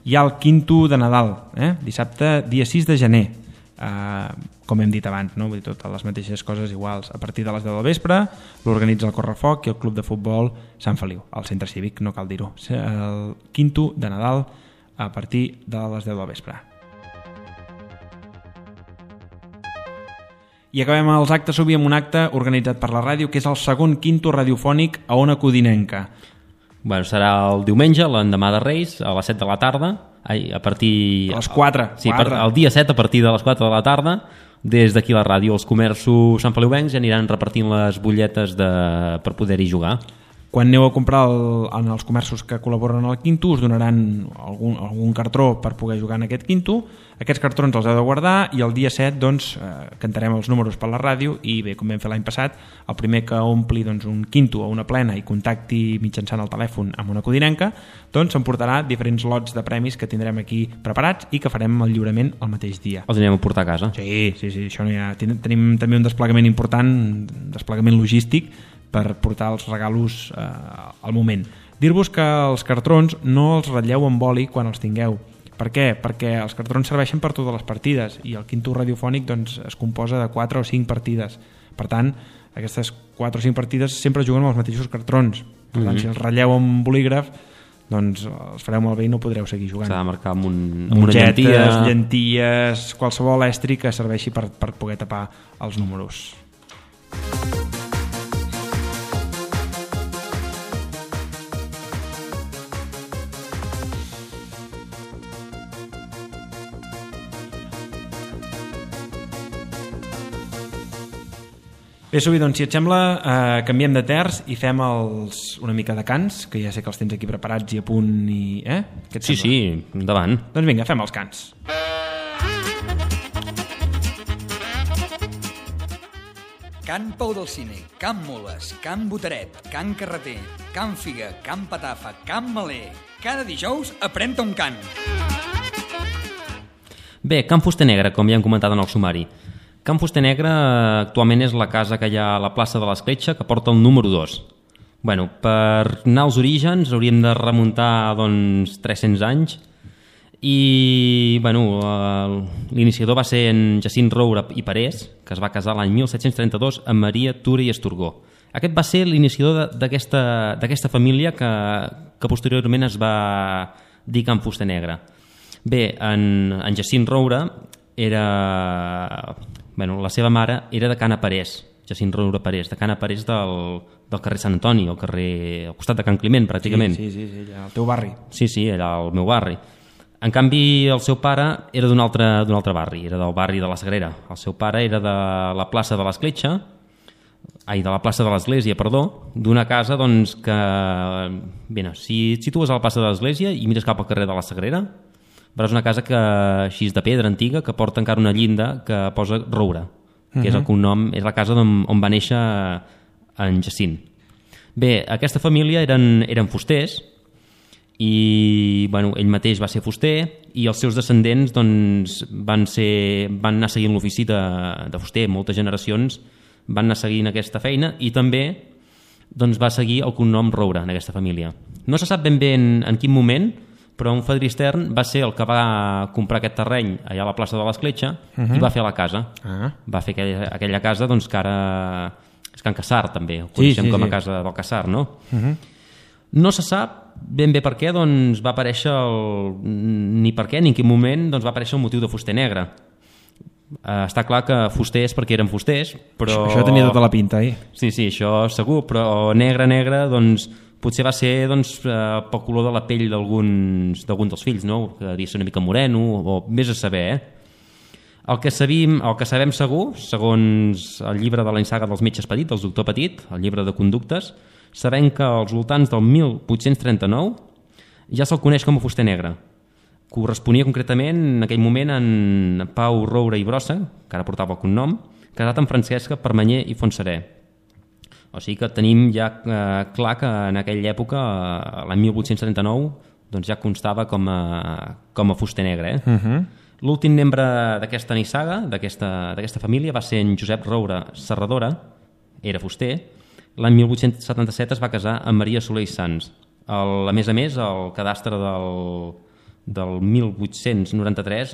hi ha el quinto de Nadal, eh? Dissabte dia sis de gener. Uh, com hem dit abans, no? Vull dir, totes les mateixes coses iguals. A partir de les deu del vespre l'organitza el Correfoc i el Club de Futbol Sant Feliu, al centre cívic, no cal dir-ho. El quinto de Nadal a partir de les deu del vespre. I acabem els actes, Subi, amb un acte organitzat per la ràdio, que és el segon quinto radiofònic a Ona Codinenca. Bueno, serà el diumenge, l'endemà de Reis, a les set de la tarda, ai, a partir... A les quatre. Sí, per, el dia set, a partir de les quatre de la tarda, des d'aquí la ràdio, els comerços santfeliuencs ja aniran repartint les butlletes de, per poder-hi jugar. Quan aneu a comprar el, en els comerços que col·laboren al quinto us donaran algun, algun cartró per poder jugar en aquest quinto. Aquests cartrons els heu de guardar i el dia set doncs, eh, cantarem els números per la ràdio i bé, com vam fer l'any passat, el primer que ompli doncs, un quinto o una plena i contacti mitjançant el telèfon amb una codinenca doncs s'emportarà diferents lots de premis que tindrem aquí preparats i que farem el lliurament el mateix dia. Els anirem a portar a casa? Sí, sí, sí, això no hi ha... Tenim també un desplegament important, un desplegament logístic per portar els regalos eh, al moment. Dir-vos que els cartrons no els ratlleu amb boli quan els tingueu. Per què? Perquè els cartrons serveixen per totes les partides i el quinto radiofònic doncs, es composa de quatre o cinc partides. Per tant, aquestes quatre o cinc partides sempre juguen amb els mateixos cartrons. Per tant, mm-hmm. si els ratlleu amb bolígraf, doncs els fareu molt bé i no podreu seguir jugant. S'ha de marcar amb, un, amb una llantilla. llenties, qualsevol estri que serveixi per, per poder tapar els números. Bé, Subi, doncs si et sembla eh, canviem de terç i fem els, una mica de cants, que ja sé que els tens aquí preparats i a punt i... Eh? Què et sí, sembla? sí, endavant. Doncs vinga, fem els cants. Can Pau del Cine, Can Moles, Can Botaret, Can Carreter, Can Figa, Can Patafa, Can Maler. Cada dijous aprèn-te un cant. Bé, Can Fuster Negre, com ja hem comentat en el sumari. Can Fuster Negre actualment és la casa que hi ha a la plaça de l'Escletxa que porta el número dos. Bueno, per anar als orígens hauríem de remuntar doncs, tres-cents anys i bueno, l'iniciador va ser en Jacint Roura i Parés, que es va casar l'any mil set-cents trenta-dos amb Maria Tura i Esturgó. Aquest va ser l'iniciador d'aquesta família que, que posteriorment es va dir Can Fuster Negre. Bé, en, en Jacint Roura era... Bueno, la seva mare era de Cana Parés, Jacint Roura Parés, de Cana Parés del, del carrer Sant Antoni, al carrer al costat de Can Climent, pràcticament. Sí, sí, sí, allà, al teu barri. Sí, sí, era el meu barri. En canvi, el seu pare era d'un altre, d'un altre barri, era del barri de la Sagrera. El seu pare era de la plaça de l'Escletxa, ai, de la plaça de l'Església, perdó, d'una casa doncs, que... Bé, no, si et situes a la plaça de l'Església i mires cap al carrer de la Sagrera, veuràs una casa que, així de pedra antiga que porta encara una llinda que posa Roura, que uh-huh. és el cognom, és la casa on, on va néixer en Jacint. Bé, aquesta família eren, eren fusters i bueno, ell mateix va ser fuster i els seus descendents doncs, van, ser, van anar seguint l'ofici de, de fuster. Moltes generacions van anar seguint aquesta feina i també doncs, va seguir el cognom Roura en aquesta família. No se sap ben bé en, en quin moment, però un fadrí extern va ser el que va comprar aquest terreny allà a la plaça de l'Escletxa uh-huh. i va fer la casa. Uh-huh. Va fer aquella, aquella casa doncs, que ara És Can Cassar, també, ho coneixem sí, sí, com a sí. casa del Cassar, no? Uh-huh. No se sap ben bé per què doncs, va aparèixer, el... ni per què ni en quin moment doncs, va aparèixer el motiu de fuster negre. Uh, està clar que fuster és perquè eren fusters, però... Això tenia tota la pinta, eh? Sí, sí, això segur, però negre, negre, doncs, potser va ser doncs, uh, pel color de la pell d'alguns d'alguns dels fills, no? Que devia ser una mica moreno, o més a saber, eh? El que, sabim, el que sabem segur, segons el llibre de la saga dels metges Petit, del doctor Petit, el llibre de conductes, sabem que als voltants del mil vuit-cents trenta-nou ja se'l coneix com a fuster negre. Corresponia concretament en aquell moment en Pau Roure i Brossa, que ara portava el cognom, casat amb Francesca Permanyer i Fontserè. O sigui que tenim ja eh, clar que en aquella època, eh, l'any mil vuit-cents trenta-nou, doncs ja constava com a, com a fuster negre. Eh? Uh-huh. L'últim membre d'aquesta nissaga, d'aquesta família, va ser en Josep Roure Serradora, era fuster. L'any mil vuit-cents setanta-set es va casar amb Maria Soler i Sans. El, a més a més, el cadastre del... del mil vuit-cents noranta-tres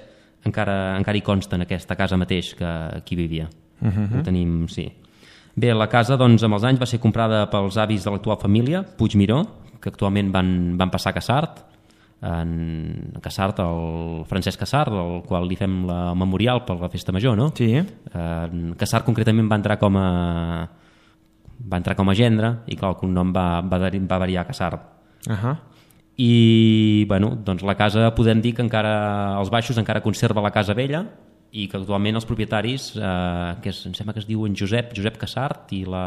encara, encara hi consta en aquesta casa mateix que aquí vivia. Uh-huh. Ho tenim, sí. Bé, la casa doncs, amb els anys va ser comprada pels avis de l'actual família, Puigmiró, que actualment van, van passar a Cassart, en Cassart, el Francesc Cassart, al qual li fem la memorial per la festa major, no? Sí. En Cassart concretament va entrar com a va entrar com a gendre i clar, el cognom va, va, va variar a Cassart. Ahà. Uh-huh. I bueno, doncs la casa podem dir que encara als baixos encara conserva la casa vella i que actualment els propietaris eh, que és, em sembla que es diuen Josep Josep Cassart i la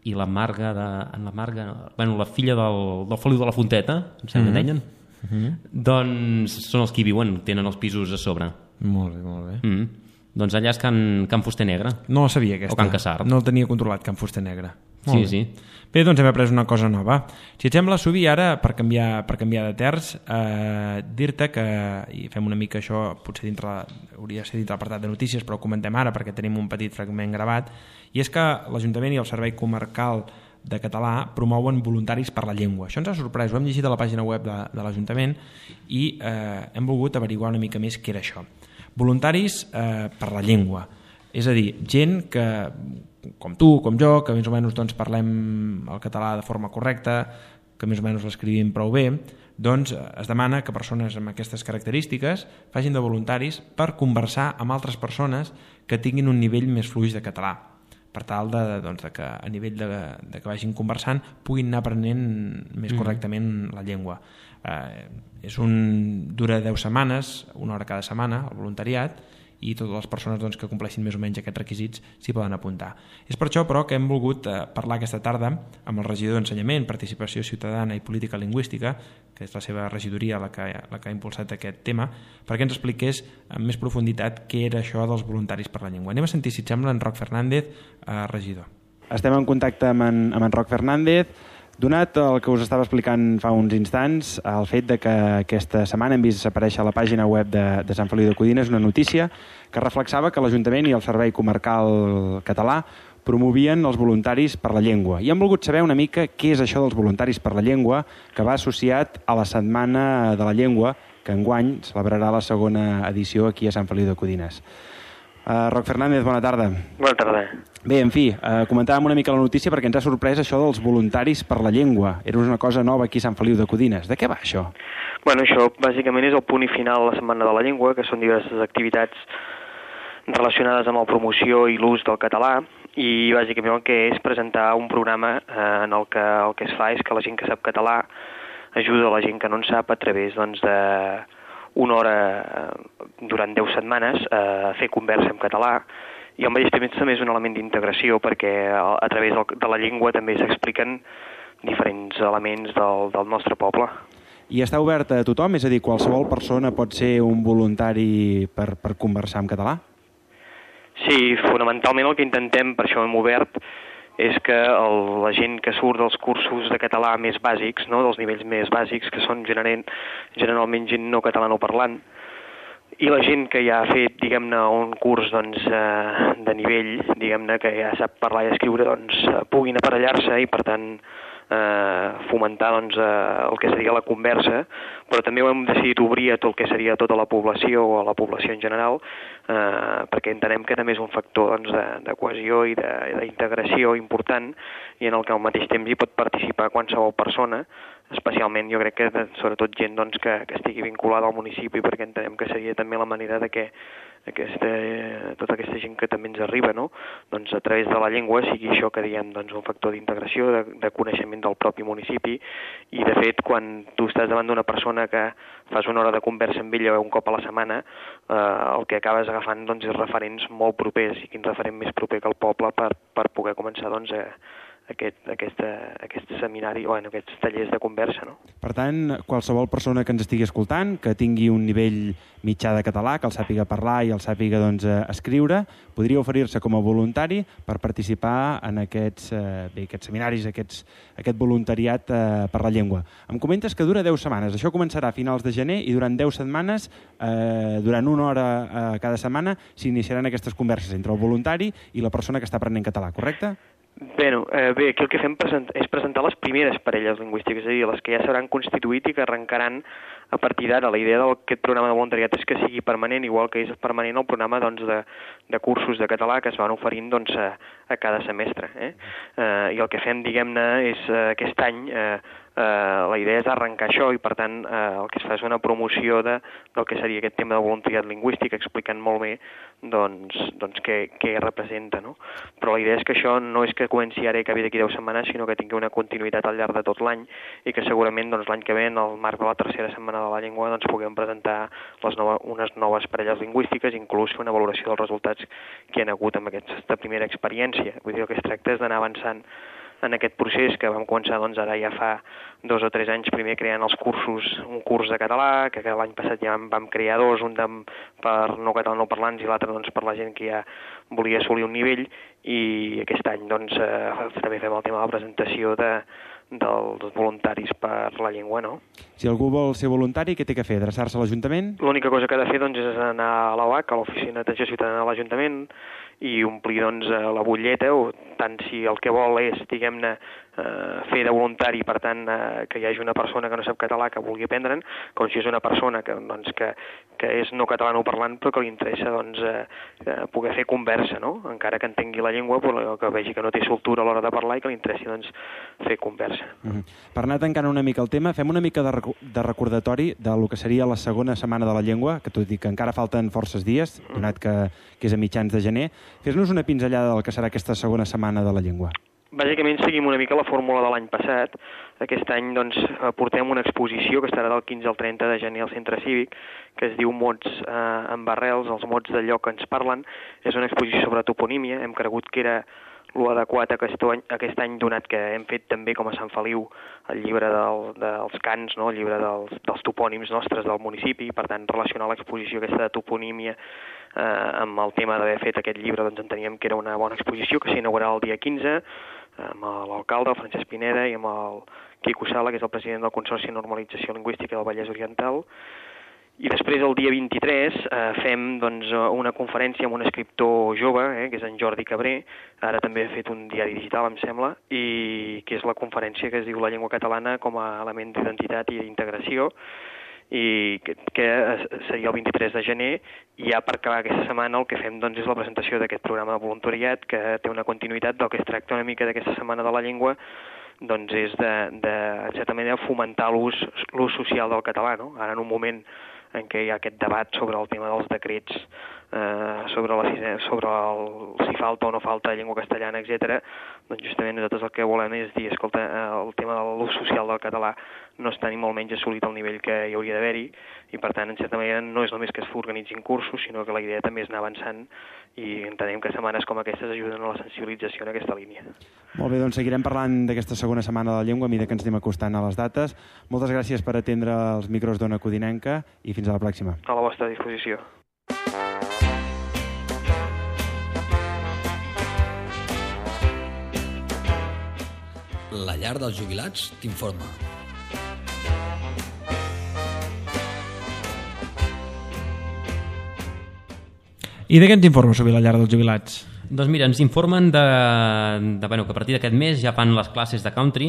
i la Marga de, en la Marga, bueno, la filla del, del Feliu de la Fonteta, em sembla que Mm-hmm. deien, mm-hmm. doncs són els que hi viuen, tenen els pisos a sobre. Molt bé, molt bé. Mm. Doncs allà és Can, Can Fuster Negre. No la sabia aquesta. O Can Cassart. No el tenia controlat, Can Fuster Negre. Molt Sí, bé. sí. Bé, doncs hem après una cosa nova. Si et sembla, Subi, ara, per canviar, per canviar de terç, eh, dir-te que, i fem una mica això, potser dintre, hauria de ser dintre l'apartat de notícies, però ho comentem ara perquè tenim un petit fragment gravat, i és que l'Ajuntament i el Servei Comarcal de Català promouen voluntaris per la llengua. Això ens ha sorprès, ho hem llegit a la pàgina web de, de l'Ajuntament i eh, hem volgut averiguar una mica més què era això. Voluntaris eh, per la llengua. És a dir, gent que, com tu, com jo, que més o menys doncs, parlem el català de forma correcta, que més o menys l'escrivim prou bé, doncs es demana que persones amb aquestes característiques facin de voluntaris per conversar amb altres persones que tinguin un nivell més fluix de català, per tal de, doncs, de que a nivell de, de que vagin conversant puguin anar aprenent més correctament la llengua. Eh, és un, dura deu setmanes, una hora cada setmana, el voluntariat, i totes les persones doncs, que compleixin més o menys aquests requisits s'hi poden apuntar. És per això, però, que hem volgut eh, parlar aquesta tarda amb el regidor d'Ensenyament, Participació Ciutadana i Política Lingüística, que és la seva regidoria la que, la que ha impulsat aquest tema, perquè ens expliqués amb més profunditat què era això dels voluntaris per la llengua. Anem a sentir, si et sembla, en Roc Fernández, eh, regidor. Estem en contacte amb en, amb en Roc Fernández. Donat el que us estava explicant fa uns instants, el fet de que aquesta setmana hem vist aparèixer a la pàgina web de, de Sant Feliu de Codines una notícia que reflexava que l'Ajuntament i el Servei Comarcal Català promovien els voluntaris per la llengua. I hem volgut saber una mica què és això dels voluntaris per la llengua, que va associat a la Setmana de la Llengua, que enguany celebrarà la segona edició aquí a Sant Feliu de Codines. Uh, Roc Fernández, bona tarda. Bona tarda. Bé, en fi, uh, comentàvem una mica la notícia perquè ens ha sorprès això dels voluntaris per la llengua. Era una cosa nova aquí a Sant Feliu de Codines. De què va això? Bueno, això bàsicament és el punt i final de la Setmana de la Llengua, que són diverses activitats relacionades amb la promoció i l'ús del català, i bàsicament el que és presentar un programa eh, en el que el que es fa és que la gent que sap català ajuda a la gent que no en sap a través doncs, de una hora durant deu setmanes a fer conversa en català, i al mateix temps també és un element d'integració perquè a través de la llengua també s'expliquen diferents elements del, del nostre poble. I està obert a tothom? És a dir, qualsevol persona pot ser un voluntari per, per conversar en català? Sí, fonamentalment el que intentem, per això hem obert, és que el, la gent que surt dels cursos de català més bàsics, no, dels nivells més bàsics, que són generalment, generalment gent no catalanoparlant, i la gent que ja ha fet, diguem-ne, un curs doncs, eh, de nivell, diguem-ne, que ja sap parlar i escriure, doncs, puguin aparellar-se i, per tant, eh, fomentar doncs, eh, el que seria la conversa, però també ho hem decidit obrir a tot el que seria tota la població o a la població en general, eh, perquè entenem que també és un factor doncs, de, de cohesió i d'integració important i en el que al mateix temps hi pot participar qualsevol persona, especialment jo crec que de, sobretot gent doncs, que, que estigui vinculada al municipi, perquè entenem que seria també la manera de que aquesta, tota aquesta gent que també ens arriba, no? Doncs a través de la llengua sigui això que diem doncs, un factor d'integració, de, de coneixement del propi municipi, i de fet quan tu estàs davant d'una persona que fas una hora de conversa amb ella un cop a la setmana, eh, el que acabes agafant doncs, és referents molt propers, i quin referent més proper que el poble per, per poder començar doncs, a Aquest, aquesta, aquest seminari o bueno, aquests tallers de conversa. No? Per tant, qualsevol persona que ens estigui escoltant, que tingui un nivell mitjà de català, que el sàpiga parlar i el sàpiga doncs, escriure, podria oferir-se com a voluntari per participar en aquests, eh, bé, aquests seminaris, aquests, aquest voluntariat eh, per la llengua. Em comentes que dura deu setmanes. Això començarà a finals de gener i durant deu setmanes, eh, durant una hora eh, cada setmana, s'iniciaran aquestes converses entre el voluntari i la persona que està aprenent català, correcte? Bé, eh, bé, aquí el que fem present, és presentar les primeres parelles lingüístiques, és a dir, les que ja s'hauran constituït i que arrencaran a partir d'ara. La idea d'aquest programa de voluntariat és que sigui permanent, igual que és permanent el programa doncs, de, de cursos de català que es van oferint doncs, a, a cada semestre. Eh? Eh, I el que fem, diguem-ne, és eh, aquest any... Eh, Uh, la idea és arrencar això i per tant uh, el que es fa és una promoció de, del que seria aquest tema de voluntariat lingüístic, explicant molt bé doncs, doncs què, què representa, no? Però la idea és que això no és que comenci ara i acabi d'aquí deu setmanes, sinó que tingui una continuïtat al llarg de tot l'any i que segurament doncs, l'any que ve, en el marc de la tercera setmana de la llengua, doncs, puguem presentar les nova, unes noves parelles lingüístiques, inclús fer una valoració dels resultats que hi ha hagut amb aquesta primera experiència. Vull dir, el que es tracta és d'anar avançant en aquest procés que vam començar doncs, ara ja fa dos o tres anys, primer creant els cursos, un curs de català, que l'any passat ja vam crear dos, un de, per no catalanoparlants i l'altre doncs, per la gent que ja volia assolir un nivell, i aquest any doncs, eh, també fem el tema de la presentació de, dels voluntaris per la llengua, no? Si algú vol ser voluntari, què té que fer? Adreçar-se a l'Ajuntament? L'única cosa que ha de fer doncs, és anar a l'A U A C, a l'Oficina d'Atenció Ciutadana de l'Ajuntament, i omplir doncs, la butlleta, o tant si el que vol és, diguem-ne, eh, fer de voluntari, per tant, eh, que hi hagi una persona que no sap català que vulgui aprendre'n, com si és una persona que, doncs, que, que és no catalanoparlant però que li interessa doncs, eh, poder fer conversa, no? Encara que entengui la llengua, però que vegi que no té soltura a l'hora de parlar i que li interessi doncs, fer conversa. Mm-hmm. Per anar tancant una mica el tema, fem una mica de, rec de recordatori del que seria la segona setmana de la llengua, que tot i que encara falten forces dies, donat que, que és a mitjans de gener. Fes-nos una pinzellada del que serà aquesta segona setmana de la llengua. Bàsicament seguim una mica la fórmula de l'any passat. Aquest any doncs, portem una exposició que estarà del quinze al trenta de gener al Centre Cívic, que es diu Mots eh, amb arrels, els mots del lloc que ens parlen. És una exposició sobre toponímia. Hem cregut que era l'adequat aquest any, aquest any, donat que hem fet també com a Sant Feliu el llibre del, dels cants, no? El llibre dels, dels topònims nostres del municipi, per tant relacionar l'exposició aquesta de toponímia eh, amb el tema d'haver fet aquest llibre, doncs enteníem que era una bona exposició que s'inaugurarà el dia quinze amb l'alcalde, el Francesc Pineda, i amb el Quico Sala, que és el president del Consorci de Normalització Lingüística del Vallès Oriental. I després, el dia vint-i-tres, eh, fem doncs, una conferència amb un escriptor jove, eh, que és en Jordi Cabré, ara també ha fet un diari digital, em sembla, i que és la conferència que es diu La llengua catalana com a element d'identitat i d'integració, i que, que seria el vint-i-tres de gener, i ja per acabar aquesta setmana el que fem doncs, és la presentació d'aquest programa de voluntariat, que té una continuïtat del que es tracta una mica d'aquesta setmana de la llengua, doncs és de, de en certa manera, fomentar l'ús social del català, no? Ara en un moment en què hi ha aquest debat sobre el tema dels decrets, eh, sobre, la, sobre el, si falta o no falta llengua castellana, etcètera, doncs justament nosaltres el que volem és dir, escolta, el tema de l'ús social del català no està ni molt menys assolit al nivell que hi hauria d'haver-hi, i per tant, en certa manera, no és només que es organitzin cursos, sinó que la idea també és anar avançant, i entenem que setmanes com aquestes ajuden a la sensibilització en aquesta línia. Molt bé, doncs seguirem parlant d'aquesta segona setmana de la llengua a mesura que ens anem acostant a les dates. Moltes gràcies per atendre els micros d'Ona Codinenca i fins a la pròxima. A la vostra disposició. La llar dels jubilats t'informa. I de què ens informa sobre la llar dels jubilats? Doncs mira, ens informen de, de, bueno, que a partir d'aquest mes ja fan les classes de country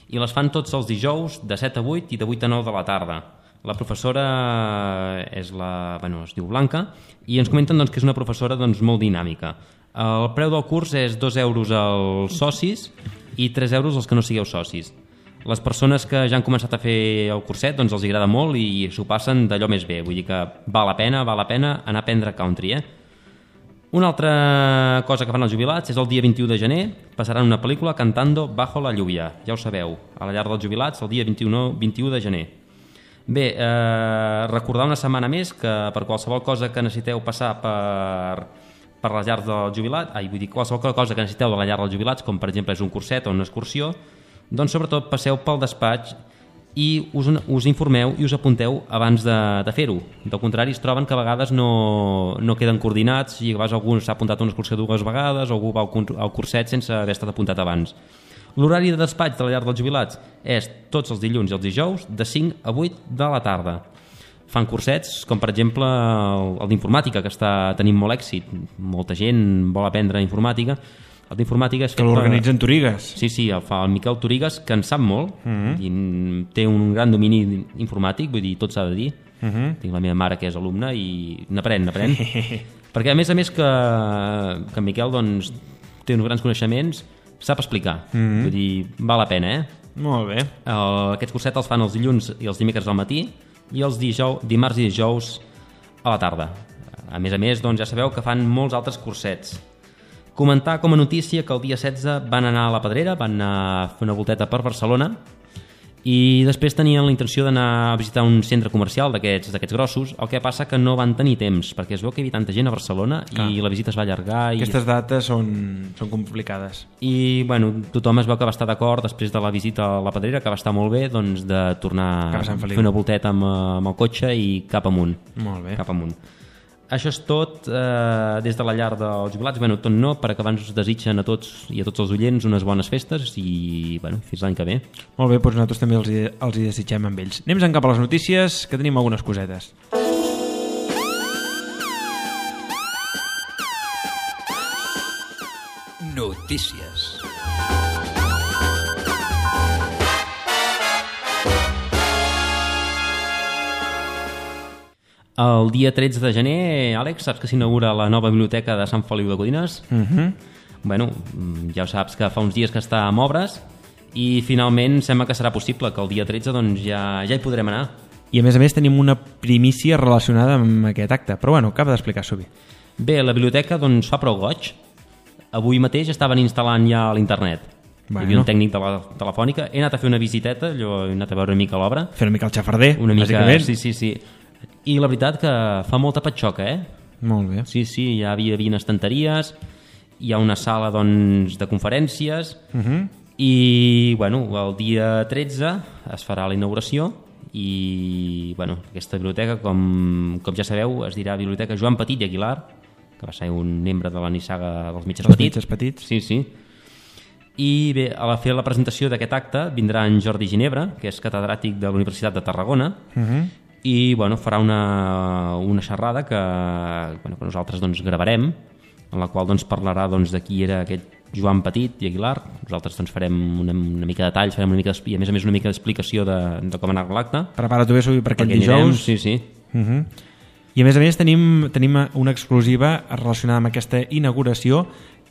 i les fan tots els dijous de set a vuit i de vuit a nou de la tarda. La professora és la, bueno, es diu Blanca i ens comenten doncs, que és una professora doncs, molt dinàmica. El preu del curs és dos euros als socis i tres euros als que no sigueu socis. Les persones que ja han començat a fer el curset doncs els agrada molt i s'ho passen d'allò més bé. Vull dir que val la pena, val la pena anar a aprendre country, eh? Una altra cosa que fan els jubilats és el dia vint-i-u de gener passaran una pel·lícula Cantando bajo la lluvia. Ja ho sabeu, a la llar dels jubilats el dia vint-i-u de gener. Bé, eh, recordar una setmana més que per qualsevol cosa que necessiteu passar per, per les llars dels jubilats, ai, vull dir, qualsevol cosa que necessiteu de la llar dels jubilats, com per exemple és un curset o una excursió, doncs sobretot passeu pel despatx i us, us informeu i us apunteu abans de, de fer-ho. Del contrari, es troben que a vegades no, no queden coordinats i a vegades algú s'ha apuntat a una excursió dues vegades o algú va al, al curset sense haver estat apuntat abans. L'horari de despatx de la llar dels jubilats és tots els dilluns i els dijous de cinc a vuit de la tarda. Fan cursets com per exemple el, el d'informàtica, que està tenint molt èxit. Molta gent vol aprendre informàtica. El d'informàtica és que l'organitzen Torigues. Sí, sí, el fa el Miquel Torigues, que en sap molt, uh-huh. i té un gran domini informàtic, vull dir, tot s'ha de dir. Uh-huh. Tinc la meva mare que és alumna i n'aprèn, n'aprèn. Perquè a més a més que, que en Miquel doncs, té uns grans coneixements, sap explicar. Uh-huh. Vull dir, val la pena, eh? Molt bé. El, aquests cursets els fan els dilluns i els dimecres al matí i els dijous, dimarts i dijous a la tarda. A més a més, doncs, ja sabeu que fan molts altres cursets. Comentar com a notícia que el dia setze van anar a la Pedrera, van anar a fer una volteta per Barcelona i després tenien la intenció d'anar a visitar un centre comercial d'aquests d'aquests grossos, el que passa que no van tenir temps, perquè es veu que hi havia tanta gent a Barcelona Clar. I la visita es va allargar. I... Aquestes dates són, són complicades. I bueno, tothom es veu que va estar d'acord després de la visita a la Pedrera, que va estar molt bé, doncs, de tornar a fer una volteta amb, amb el cotxe i cap amunt. Molt bé. Cap amunt. Això és tot eh, des de la llar dels jubilats. Bueno, tot no, perquè abans us desitgen a tots i a tots els oients unes bones festes i bueno, fins l'any que ve. Molt bé, doncs nosaltres també els hi, els hi desitgem amb ells. Anem cap a les notícies, que tenim algunes cosetes. Notícies. El dia tretze de gener, Àlex, saps que s'inaugura la nova biblioteca de Sant Feliu de Codines? Uh-huh. Bueno, ja ho saps que fa uns dies que està en obres i finalment sembla que serà possible que el dia tretze doncs, ja, ja hi podrem anar. I a més a més tenim una primícia relacionada amb aquest acte, però bueno, acaba d'explicar Subi. Bé, la biblioteca doncs, fa prou goig. Avui mateix estaven instal·lant ja a l'internet. Bueno. Hi havia un tècnic de la telefònica. He anat a fer una visiteta, allò, he anat a veure una mica l'obra. Fer una mica el xafarder, una mica, bàsicament. Sí, sí, sí. I la veritat que fa molta patxoca, eh? Molt bé. Sí, sí, hi havia, hi havia estanteries, hi ha una sala doncs, de conferències uh-huh. i bueno, el dia tretze es farà la inauguració i bueno, aquesta biblioteca, com, com ja sabeu, es dirà Biblioteca Joan Petit i Aguilar, que va ser un membre de la nissaga dels Metges Els Petits. Metges Petits. Sí, sí. I bé, a la fer la presentació d'aquest acte vindrà en Jordi Ginebra, que és catedràtic de la Universitat de Tarragona, uh-huh. i bueno, farà una, una xerrada que, bueno, que nosaltres doncs, gravarem, en la qual doncs, parlarà doncs, de qui era aquest Joan Petit i Aguilar. Nosaltres doncs, farem una, una mica de detalls, farem una mica i a més a més una mica d'explicació de, de com anar l'acte. Prepara-t'ho bé, Subi, per aquest dijous. Anirem, sí, sí. Uh-huh. I a més a més tenim, tenim una exclusiva relacionada amb aquesta inauguració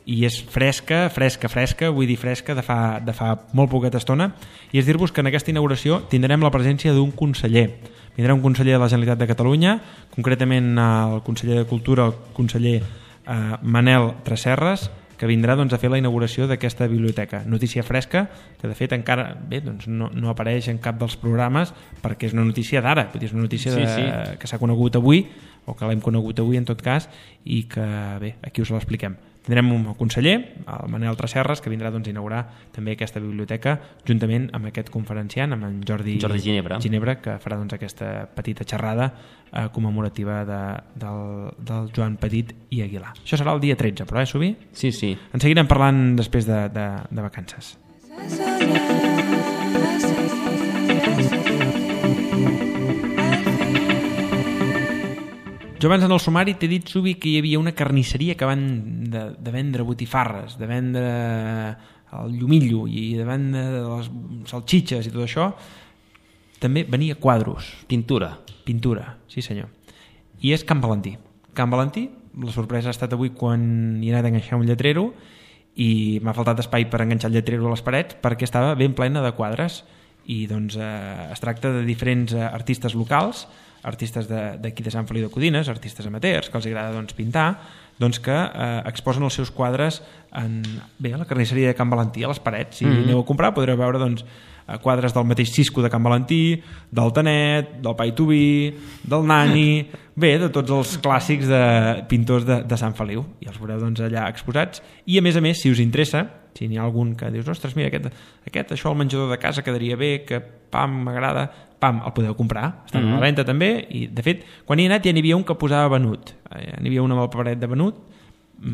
i és fresca, fresca, fresca, vull dir fresca de fa, de fa molt poqueta estona, i és dir-vos que en aquesta inauguració tindrem la presència d'un conseller. Vindrà un conseller de la Generalitat de Catalunya, concretament el conseller de Cultura, el conseller eh, Manel Tresserras, que vindrà doncs, a fer la inauguració d'aquesta biblioteca. Notícia fresca, que de fet encara bé, doncs, no, no apareix en cap dels programes perquè és una notícia d'ara, és una notícia de, sí, sí. que s'ha conegut avui, o que l'hem conegut avui en tot cas, i que bé, aquí us l'expliquem. Tindrem un conseller, el Manel Tresserras, que vindrà doncs, a inaugurar també aquesta biblioteca juntament amb aquest conferenciant, amb en Jordi, Jordi Ginebra. Ginebra, que farà doncs, aquesta petita xerrada eh, commemorativa de, del, del Joan Petit i Aguilar. Això serà el dia tretze, però, eh, Subi? Sí, sí. En seguirem parlant després de, de, de vacances. Jo abans en el sumari t'he dit, Subi, que hi havia una carnisseria que van de, de vendre botifarres, de vendre el llumillo i davant de les salxitxes i tot això, també venia quadros. Pintura. Pintura, sí senyor. I és Can Valentí. Can Valentí, la sorpresa ha estat avui quan hi he anat a enganxar un lletrero i m'ha faltat espai per enganxar el lletrero a les parets perquè estava ben plena de quadres i doncs eh, es tracta de diferents eh, artistes locals, artistes d'aquí de, de Sant Feliu de Codines, artistes amateurs que els agrada doncs, pintar, doncs que eh, exposen els seus quadres en, bé, a la carnisseria de Can Valentí, a les parets. Si mm -hmm. aneu a comprar podreu veure doncs, quadres del mateix Cisco de Can Valentí, del Tanet, del Pai Tubí, del Nani, bé, de tots els clàssics de pintors de, de Sant Feliu, i els veureu doncs, allà exposats. I a més a més, si us interessa, si n'hi ha algun que dius, ostres, mira, aquest, aquest això al menjador de casa quedaria bé, que pam, m'agrada, pam, el podeu comprar, està mm-hmm. a la venda també, i de fet, quan hi he anat ja n'hi havia un que posava venut, eh, n'hi havia un amb el paperet de venut,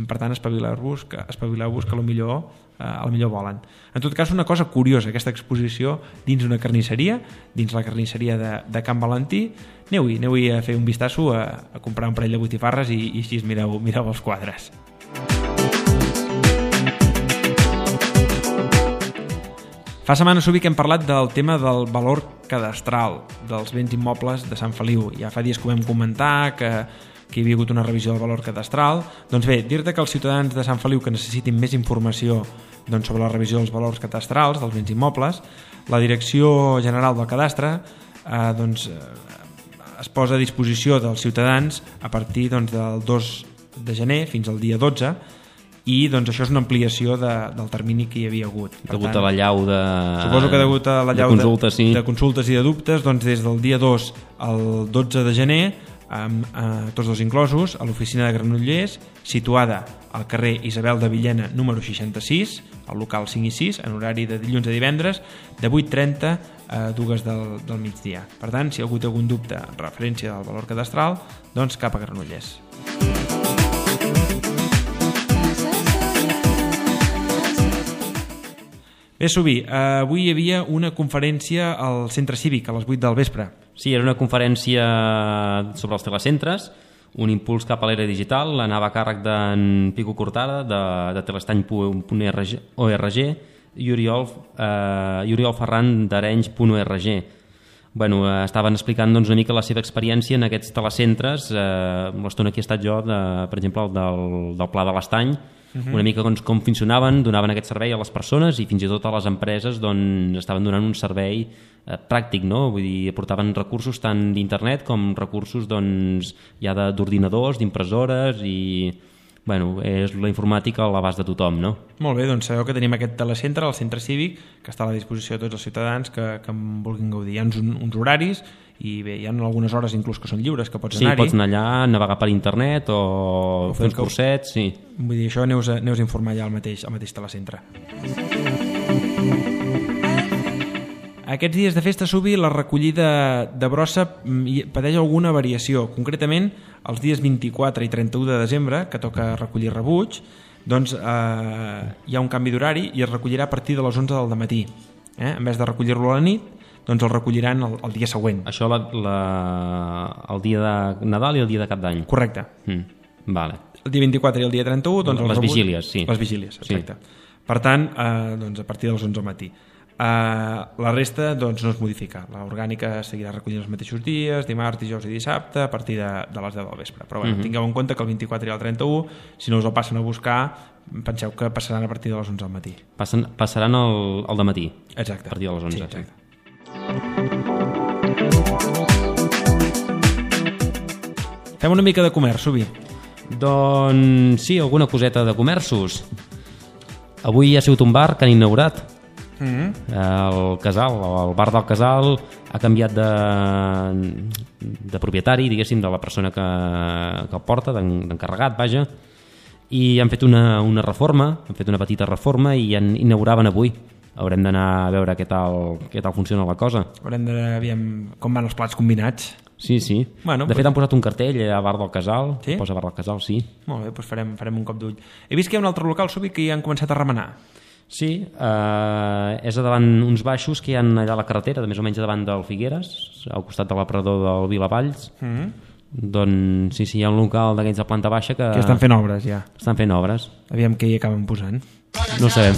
per tant espavileu-vos que, espavileu-vos que millor, eh, a lo millor volen. En tot cas, una cosa curiosa, aquesta exposició dins una carnisseria, dins la carnisseria de, de Can Valentí. Aneu-hi, aneu-hi a fer un vistasso, a, a comprar un parell de botifarres i, i així mireu, mireu els quadres. Fa setmanes Subi que hem parlat del tema del valor cadastral dels béns immobles de Sant Feliu. Ja fa dies que ho vam comentar, que que hi havia hagut una revisió del valor cadastral. Doncs bé, dir-te que els ciutadans de Sant Feliu que necessitin més informació doncs, sobre la revisió dels valors cadastrals dels béns immobles, la Direcció General del Cadastre eh, doncs, eh, es posa a disposició dels ciutadans a partir doncs, del dos de gener fins al dia dotze, i doncs, això és una ampliació de, del termini que hi havia hagut. Per degut tant, a la llau de... Suposo que degut a la llau de consultes, sí. de, de consultes i de dubtes, doncs, des del dia dos al dotze de gener, amb eh, tots dos inclosos, a l'oficina de Granollers, situada al carrer Isabel de Villena número seixanta-sis, al local cinc i sis, en horari de dilluns a divendres, de vuit trenta a dues del, del migdia. Per tant, si hi ha hagut algun dubte en referència del valor cadastral, doncs cap a Granollers. Bé, Subi, eh, avui hi havia una conferència al Centre Cívic a les vuit del vespre. Sí, era una conferència sobre els telecentres, un impuls cap a l'era digital, anava a càrrec d'en Pico Cortada, de, de telestany punt org, i Oriol, eh, i Oriol Ferran d'Arenys punt org. Bueno, eh, estaven explicant doncs, una mica la seva experiència en aquests telecentres. Eh, l'estona aquí he estat jo, de, per exemple, el del, del Pla de l'Estany, Uh-huh. una mica doncs, com funcionaven, donaven aquest servei a les persones i fins i tot a les empreses doncs, estaven donant un servei eh, pràctic, no? Vull dir, aportaven recursos tant d'internet com recursos doncs, ja d'ordinadors, d'impressores i bueno, és la informàtica a l'abast de tothom, no? Molt bé, doncs sabeu que tenim aquest telecentre, el Centre Cívic, que està a la disposició de tots els ciutadans que, que en vulguin gaudir. Hi ha uns, uns horaris i bé, hi ha algunes hores inclús que són lliures, que pots sí, anar-hi. Sí, pots anar allà, navegar per internet o, o fer uns cursets, sí. Vull dir, això aneu a, aneu a informar ja al mateix, al mateix telecentre. Aquests dies de festa, Subi, la recollida de brossa pateix alguna variació. Concretament, els dies vint-i-quatre i trenta-u de desembre, que toca recollir rebuig, doncs eh, hi ha un canvi d'horari i es recollirà a partir de les onze del dematí. Eh? En vez de recollir-lo a la nit, doncs el recolliran el, el dia següent. Això la, la, el dia de Nadal i el dia de Cap d'Any. Correcte. Mm, vale. El dia vint-i-quatre i el dia trenta-u... Doncs les rebuig... vigílies, sí. Les vigílies, exacte. Sí. Per tant, eh, doncs a partir dels onze del matí. Eh, la resta doncs, no es modifica. L'orgànica seguirà recollint els mateixos dies, dimarts, dijous i dissabte, a partir de, de les deu del vespre. Però bueno, uh-huh. tingueu en compte que el vint-i-quatre i el trenta-u, si no us el passen a buscar, penseu que passaran a partir de les onze del matí. Passen, passaran al, al dematí. Exacte. A partir de les onze. Sí, exacte. Sí. Fem una mica de comerç, Subi. Doncs sí, alguna coseta de comerços. Avui ha sigut un bar que han inaugurat. Mm-hmm. El Casal, el bar del Casal ha canviat de, de propietari, diguéssim, de la persona que, que el porta, d'encarregat, vaja, i han fet una, una reforma, han fet una petita reforma i en inauguraven avui. Haurem d'anar a veure què tal, què tal funciona la cosa. Haurem de veure com van els plats combinats. Sí, sí. Bueno, de fet, pues... han posat un cartell a Bar del Casal. Sí? Posa Bar del Casal, sí. Molt bé, doncs farem, farem un cop d'ull. He vist que hi ha un altre local, Subi, que ja han començat a remenar. Sí, eh, és davant uns baixos que hi ha allà a la carretera, de més o menys davant del Figueres, al costat de l'aparador del Vilavalls. Mm-hmm. Doncs sí, sí, hi ha un local d'aquells de planta baixa que... Que estan fent obres, ja. Estan fent obres. Aviam què hi acaben posant. No ho sabem.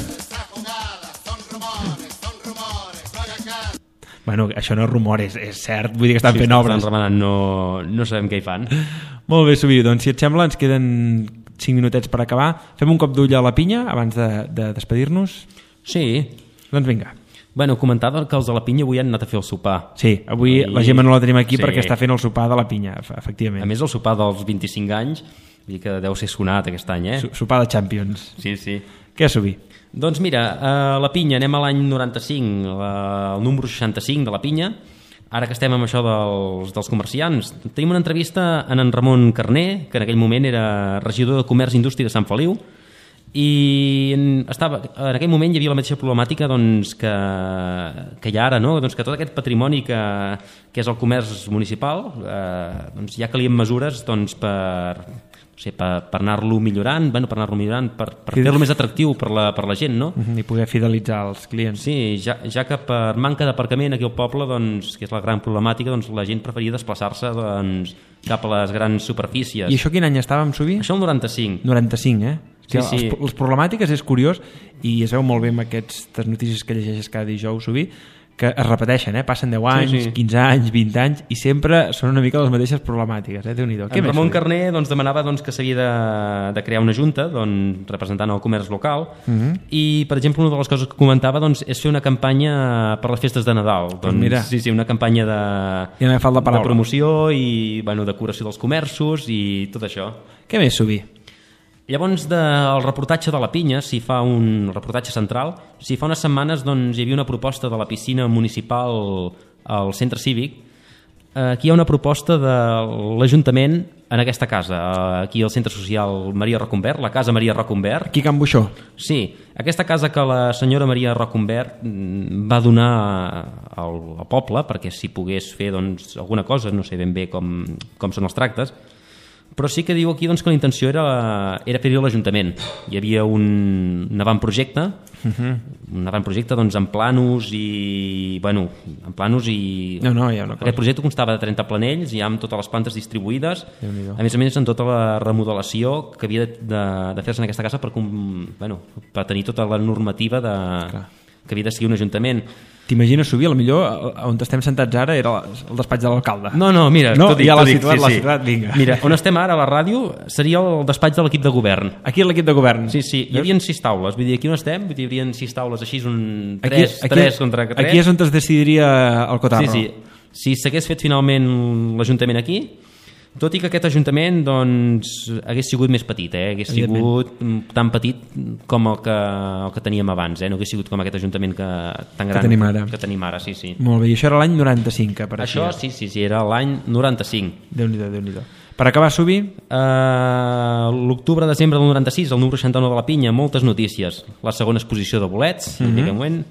Bueno, això no és rumor, és, és cert, vull dir que estan sí, fent obres. Estan remenant, no, no sabem què hi fan. Molt bé, Subi, doncs si et sembla ens queden cinc minutets per acabar. Fem un cop d'ull a la pinya abans de, de despedir-nos? Sí. Doncs vinga. Bueno, comentar que els de la pinya avui han anat a fer el sopar. Sí, avui I... la Gemma no la tenim aquí sí. perquè està fent el sopar de la pinya, efectivament. A més, el sopar dels vint-i-cinc anys, vull dir que deu ser sonat aquest any, eh? Sopar de Champions. Sí, sí. Què, Subi? Doncs mira, a la pinya anem a l'any noranta-cinc, el número seixanta-cinc de la pinya. Ara que estem amb això dels, dels comerciants, tenim una entrevista en en Ramon Carner, que en aquell moment era regidor de Comerç i Indústria de Sant Feliu, i en, estava, en aquell moment hi havia la mateixa problemàtica doncs, que, que hi ha ara, no? Doncs que tot aquest patrimoni que, que és el comerç municipal, eh, doncs ja calien mesures doncs, per, no sé, per, per anar-lo millorant, bueno, per anar-lo millorant, per, per fer-lo més atractiu per la, per la gent, no? I poder fidelitzar els clients. Sí, ja, ja que per manca d'aparcament aquí al poble, doncs, que és la gran problemàtica, doncs, la gent preferia desplaçar-se doncs, cap a les grans superfícies. I això quin any estàvem, Subi? Això el noranta-cinc. noranta-cinc, eh? Sí, sí. Les, les problemàtiques és curiós i es veu molt bé amb aquestes notícies que llegeixes cada dijous, Subi, que es repeteixen, eh? Passen deu anys, sí, sí. quinze anys, vint anys i sempre són una mica les mateixes problemàtiques, eh? Déu-n'hi-do. En Ramon Carner doncs, demanava doncs, que s'havia de, de crear una junta doncs, representant el comerç local uh -huh. i, per exemple, una de les coses que comentava doncs, és fer una campanya per les festes de Nadal. Doncs, pues mira. Sí, sí, una campanya de, ja no de promoció i bueno, decoració dels comerços i tot això. Què més, Subi? Llavors, del reportatge de la pinya, s'hi fa un reportatge central, s'hi fa unes setmanes doncs, hi havia una proposta de la piscina municipal al centre cívic. Aquí hi ha una proposta de l'Ajuntament en aquesta casa, aquí al centre social Maria Rocumbert, la casa Maria Rocumbert. Aquí a Can Buixó. Sí, aquesta casa que la senyora Maria Rocumbert va donar al, al poble perquè s'hi pogués fer doncs, alguna cosa, no sé ben bé com, com són els tractes, però sí que diu aquí doncs, que la intenció era, era fer-hi a l'Ajuntament. Hi havia un, un avantprojecte, uh-huh. un avantprojecte doncs, en planos i... Bueno, en planos i... No, no, hi ha una cosa. Aquest projecte constava de trenta planells, ja amb totes les plantes distribuïdes, a més a més en tota la remodelació que havia de, de, de fer-se en aquesta casa per, bueno, per tenir tota la normativa de, que havia de seguir un ajuntament. T'imagines, Subi, millor on estem sentats ara era el despatx de l'alcalde. No, no, mira, no, dic, ja l'ha dic, situat, sí, l'ha sí. situat, vinga. Mira, on estem ara, a la ràdio, seria el despatx de l'equip de govern. Aquí l'equip de govern? Sí, sí, hi havia sis taules, vull dir, aquí on estem, vull dir, hi havia sis taules així, un tres, aquí, tres aquí, contra tres. Aquí és on es decidiria el cotarro. Sí, sí, si s'hagués fet finalment l'Ajuntament aquí, tot i que aquest Ajuntament doncs, hagués sigut més petit, eh? Hagués sigut tan petit com el que, el que teníem abans, eh? No hagués sigut com aquest Ajuntament que, tan gran que tenim ara. Que tenim ara sí, sí. Molt bé, i això era l'any noranta-cinc que apareixia. Això sí, sí, sí, era l'any noranta-cinc. Déu-n'hi-do, Déu-n'hi-do. Per acabar, Subi? Uh, L'octubre-desembre del noranta-sis, el número seixanta-nou de la pinya, moltes notícies. La segona exposició de bolets, mm -hmm.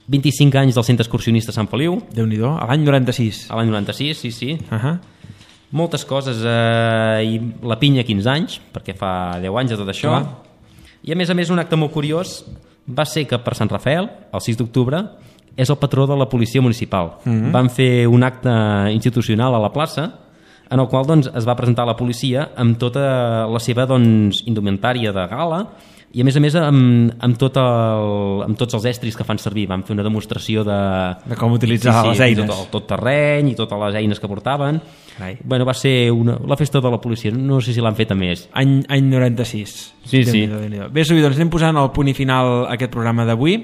vint-i-cinc anys del centre excursionista Sant Feliu. Déu-n'hi-do, a l'any noranta-sis. A l'any noranta-sis, sí, sí. Uh -huh. Moltes coses, eh, i la pinya quinze anys, perquè fa deu anys de tot això. Clar. I a més a més un acte molt curiós va ser que per Sant Rafael, el sis d'octubre, és el patró de la policia municipal. Mm-hmm. Van fer un acte institucional a la plaça en el qual doncs, es va presentar la policia amb tota la seva doncs, indumentària de gala i a més a més amb, amb, tot el, amb tots els estris que fan servir. Van fer una demostració de... De com utilitzar sí, sí, les eines. Tot, tot terreny i totes les eines que portaven. Bueno, va ser una, la festa de la policia, no sé si l'han fet a més. Any, any noranta-sis. Sí, sí. Bé, Subi, doncs anem posant el punt i final a aquest programa d'avui.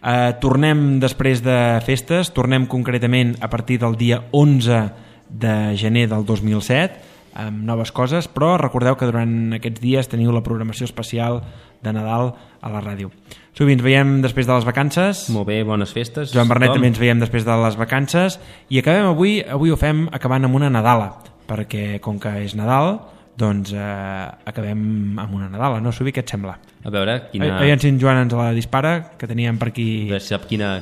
Uh, tornem després de festes, tornem concretament a partir del dia onze de gener del dos mil set, amb noves coses, però recordeu que durant aquests dies teniu la programació especial de Nadal a la ràdio. Subi, ens veiem després de les vacances. Molt bé, bones festes. Joan Bernet també ens veiem després de les vacances i acabem avui, avui ho fem acabant amb una Nadala, perquè com que és Nadal, doncs eh, acabem amb una Nadala, no, Subi, què et sembla? A veure, quina... Aviam si en Joan ens la dispara, que teníem per aquí... A veure si sap quina...